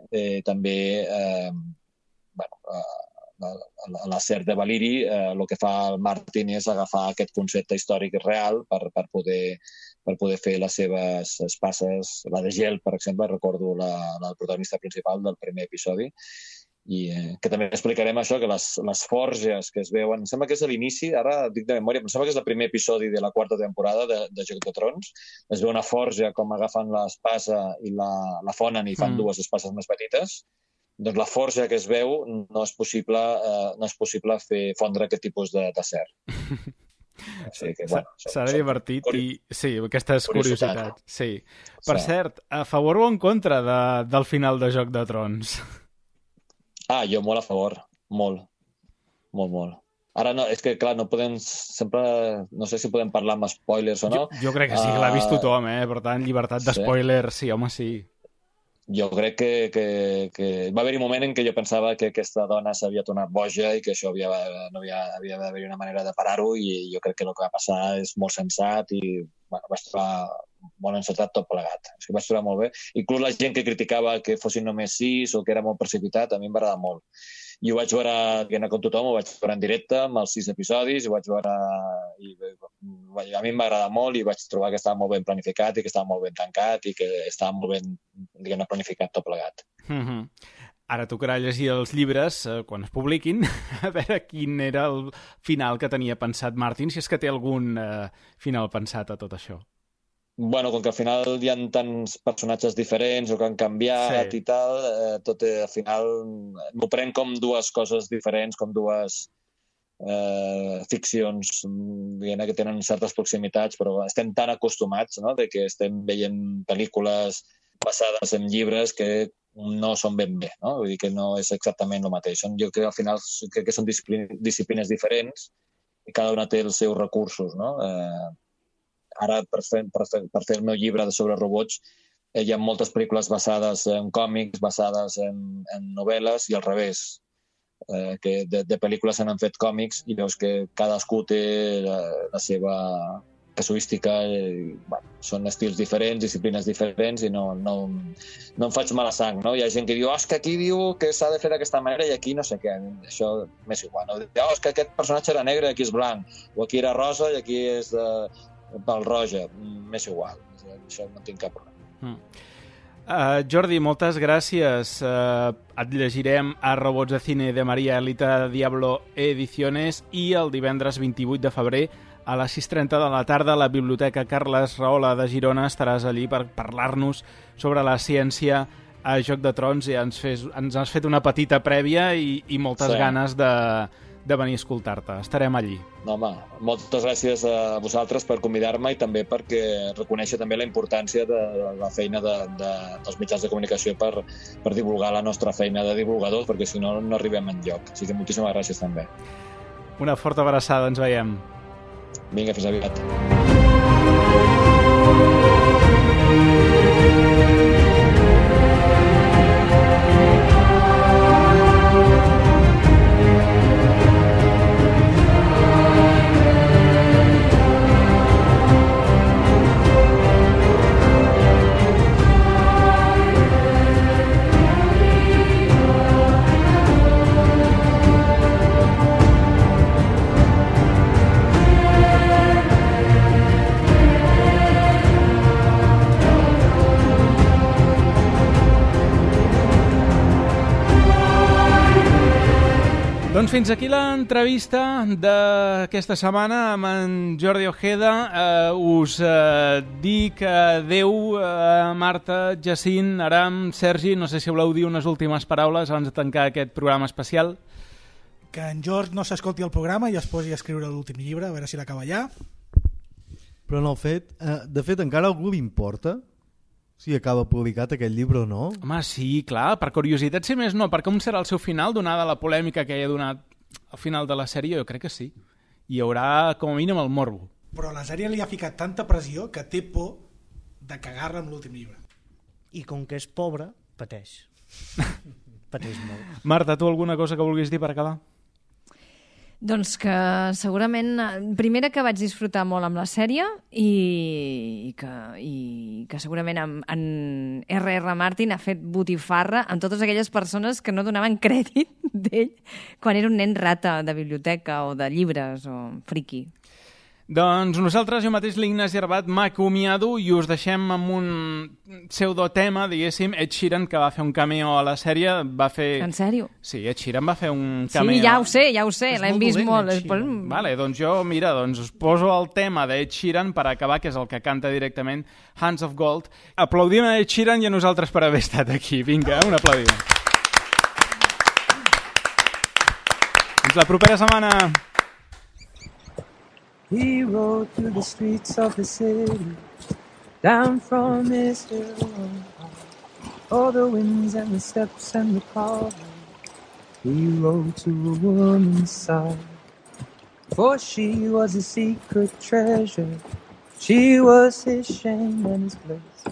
l'acer de valiri, el que fa el Martin és agafar aquest concepte històric real per poder fer les seves espases, la de gel, per exemple, recordo la protagonista principal del primer episodi, i que també explicarem això, que les forges que es veuen, em sembla que és a l'inici, ara dic de memòria, em sembla que és el primer episodi de la 4ª temporada de Joc de Trons, es veu una forja com agafen l'espasa i la fonen i fan dues espases més petites. Doncs la forja que es veu no és possible fer fondre aquest tipus d'acer. Sí, serà divertit i sí, aquestes curiositats. Sí. Per cert, a favor o en contra del final de Joc de Trons? Jo molt a favor, molt. Ara no, és que clar, no podem sempre, no sé si podem parlar amb spoilers o no. Jo crec que sí, que l'ha vist tothom, per tant, llibertat d'espoiler, sí, home, sí. Jo crec que va haver-hi un moment en què jo pensava que aquesta dona s'havia tornat boja i que això havia d'haver-hi una manera de parar-ho, i jo crec que el que va passar és molt sensat i vaig trobar molt encertat tot plegat. És que vaig trobar molt bé. Inclús la gent que criticava que fossin només 6 o que era molt precipitat, a mi em va agradar molt. I ho vaig veure, com tothom, ho vaig veure en directe amb els 6 episodis, ho vaig veure... A mi em va agradar molt i vaig trobar que estava molt ben planificat i que estava molt ben tancat i que estava molt ben, diguem-ne, planificat tot plegat. Ara tocarà llegir els llibres quan es publiquin, a veure quin era el final que tenia pensat Martin, si és que té algun final pensat a tot això. Bueno, com que al final hi ha tants personatges diferents o que han canviat i tal, tot al final m'ho prenc com dues coses diferents, com dues ficcions que tenen certes proximitats, però estem tan acostumats, no?, de que estem veient pel·lícules basades en llibres que no són ben bé, no? Vull dir que no és exactament el mateix. Jo crec que al final són disciplines diferents i cada una té els seus recursos, no? Ara, per fer el meu llibre sobre robots, hi ha moltes pel·lícules basades en còmics, basades en novel·les, i al revés, que de pel·lícules se n'han fet còmics i veus que cadascú té la seva casuística, són estils diferents, disciplines diferents, i no em faig mala sang, no? Hi ha gent que diu, és que aquí diu que s'ha de fer d'aquesta manera i aquí no sé què, això m'és igual, no? És que aquest personatge era negre i aquí és blanc, o aquí era rosa i aquí és pel roja, m'és igual, això no tinc cap problema. Jordi, moltes gràcies. Et llegirem a Robots de Cine de Maria Elita Diablo Ediciones, i el divendres 28 de febrer a les 6:30 de la tarda a la Biblioteca Carles Rahola de Girona estaràs allí per parlar-nos sobre la ciència a Joc de Trons, i ens has fet una petita prèvia i moltes ganes de venir a escoltar-te. Estarem allí. No, home, moltes gràcies a vosaltres per convidar-me i també perquè reconèixer també la importància de la feina dels mitjans de comunicació per divulgar la nostra feina de divulgadors, perquè si no, no arribem enlloc. Així que moltíssimes gràcies també. Una forta abraçada, ens veiem. Vinga, fins aviat. Doncs fins aquí l'entrevista d'aquesta setmana amb en Jordi Ojeda. Us dic adeu, Marta, Jacint, Aram, Sergi. No sé si voleu dir unes últimes paraules abans de tancar aquest programa especial. Que en George no s'escolti el programa i es posi a escriure l'últim llibre, a veure si l'acaba allà. Però en el fet, de fet, encara a algú li importa si acaba publicat aquest llibre o no? Home, sí, clar, per curiositat, si més no, per com serà el seu final, donada la polèmica que hi ha donat al final de la sèrie, jo crec que sí. Hi haurà, com a mínim, el morbo. Però la sèrie li ha ficat tanta pressió que té por de cagar-la amb l'últim llibre. I com que és pobre, pateix. Pateix molt. Marta, tu alguna cosa que vulguis dir per acabar? Doncs que segurament, primera que vaig disfrutar molt amb la sèrie i que segurament en R.R. Martin ha fet botifarra amb totes aquelles persones que no donaven crèdit d'ell quan era un nen rata de biblioteca o de llibres o friqui. Doncs nosaltres, jo mateix, l'Ignasi Arbat, m'acomiado i us deixem amb un pseudotema, diguéssim, Ed Sheeran, que va fer un cameo a la sèrie. Va fer... En sèrio? Sí, Ed Sheeran va fer un cameo. Sí, ja ho sé, l'hem vist molt. Vale, doncs jo, mira, us poso el tema d'Ed Sheeran per acabar, que és el que canta directament Hands of Gold. Aplaudim a Ed Sheeran i a nosaltres per haver estat aquí. Vinga, un aplaudiment. Fins la propera setmana. He rode through the streets of the city, down from his hill on high. All the winds and the steps and the carving, he rode to a woman's side. For she was a secret treasure, she was his shame and his bliss.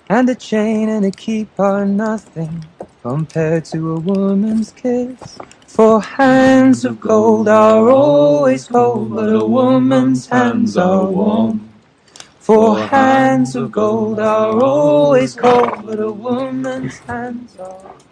And a chain and a keep are nothing compared to a woman's kiss. For hands of gold are always cold, but a woman's hands are warm. For hands of gold are always cold, but a woman's hands are warm.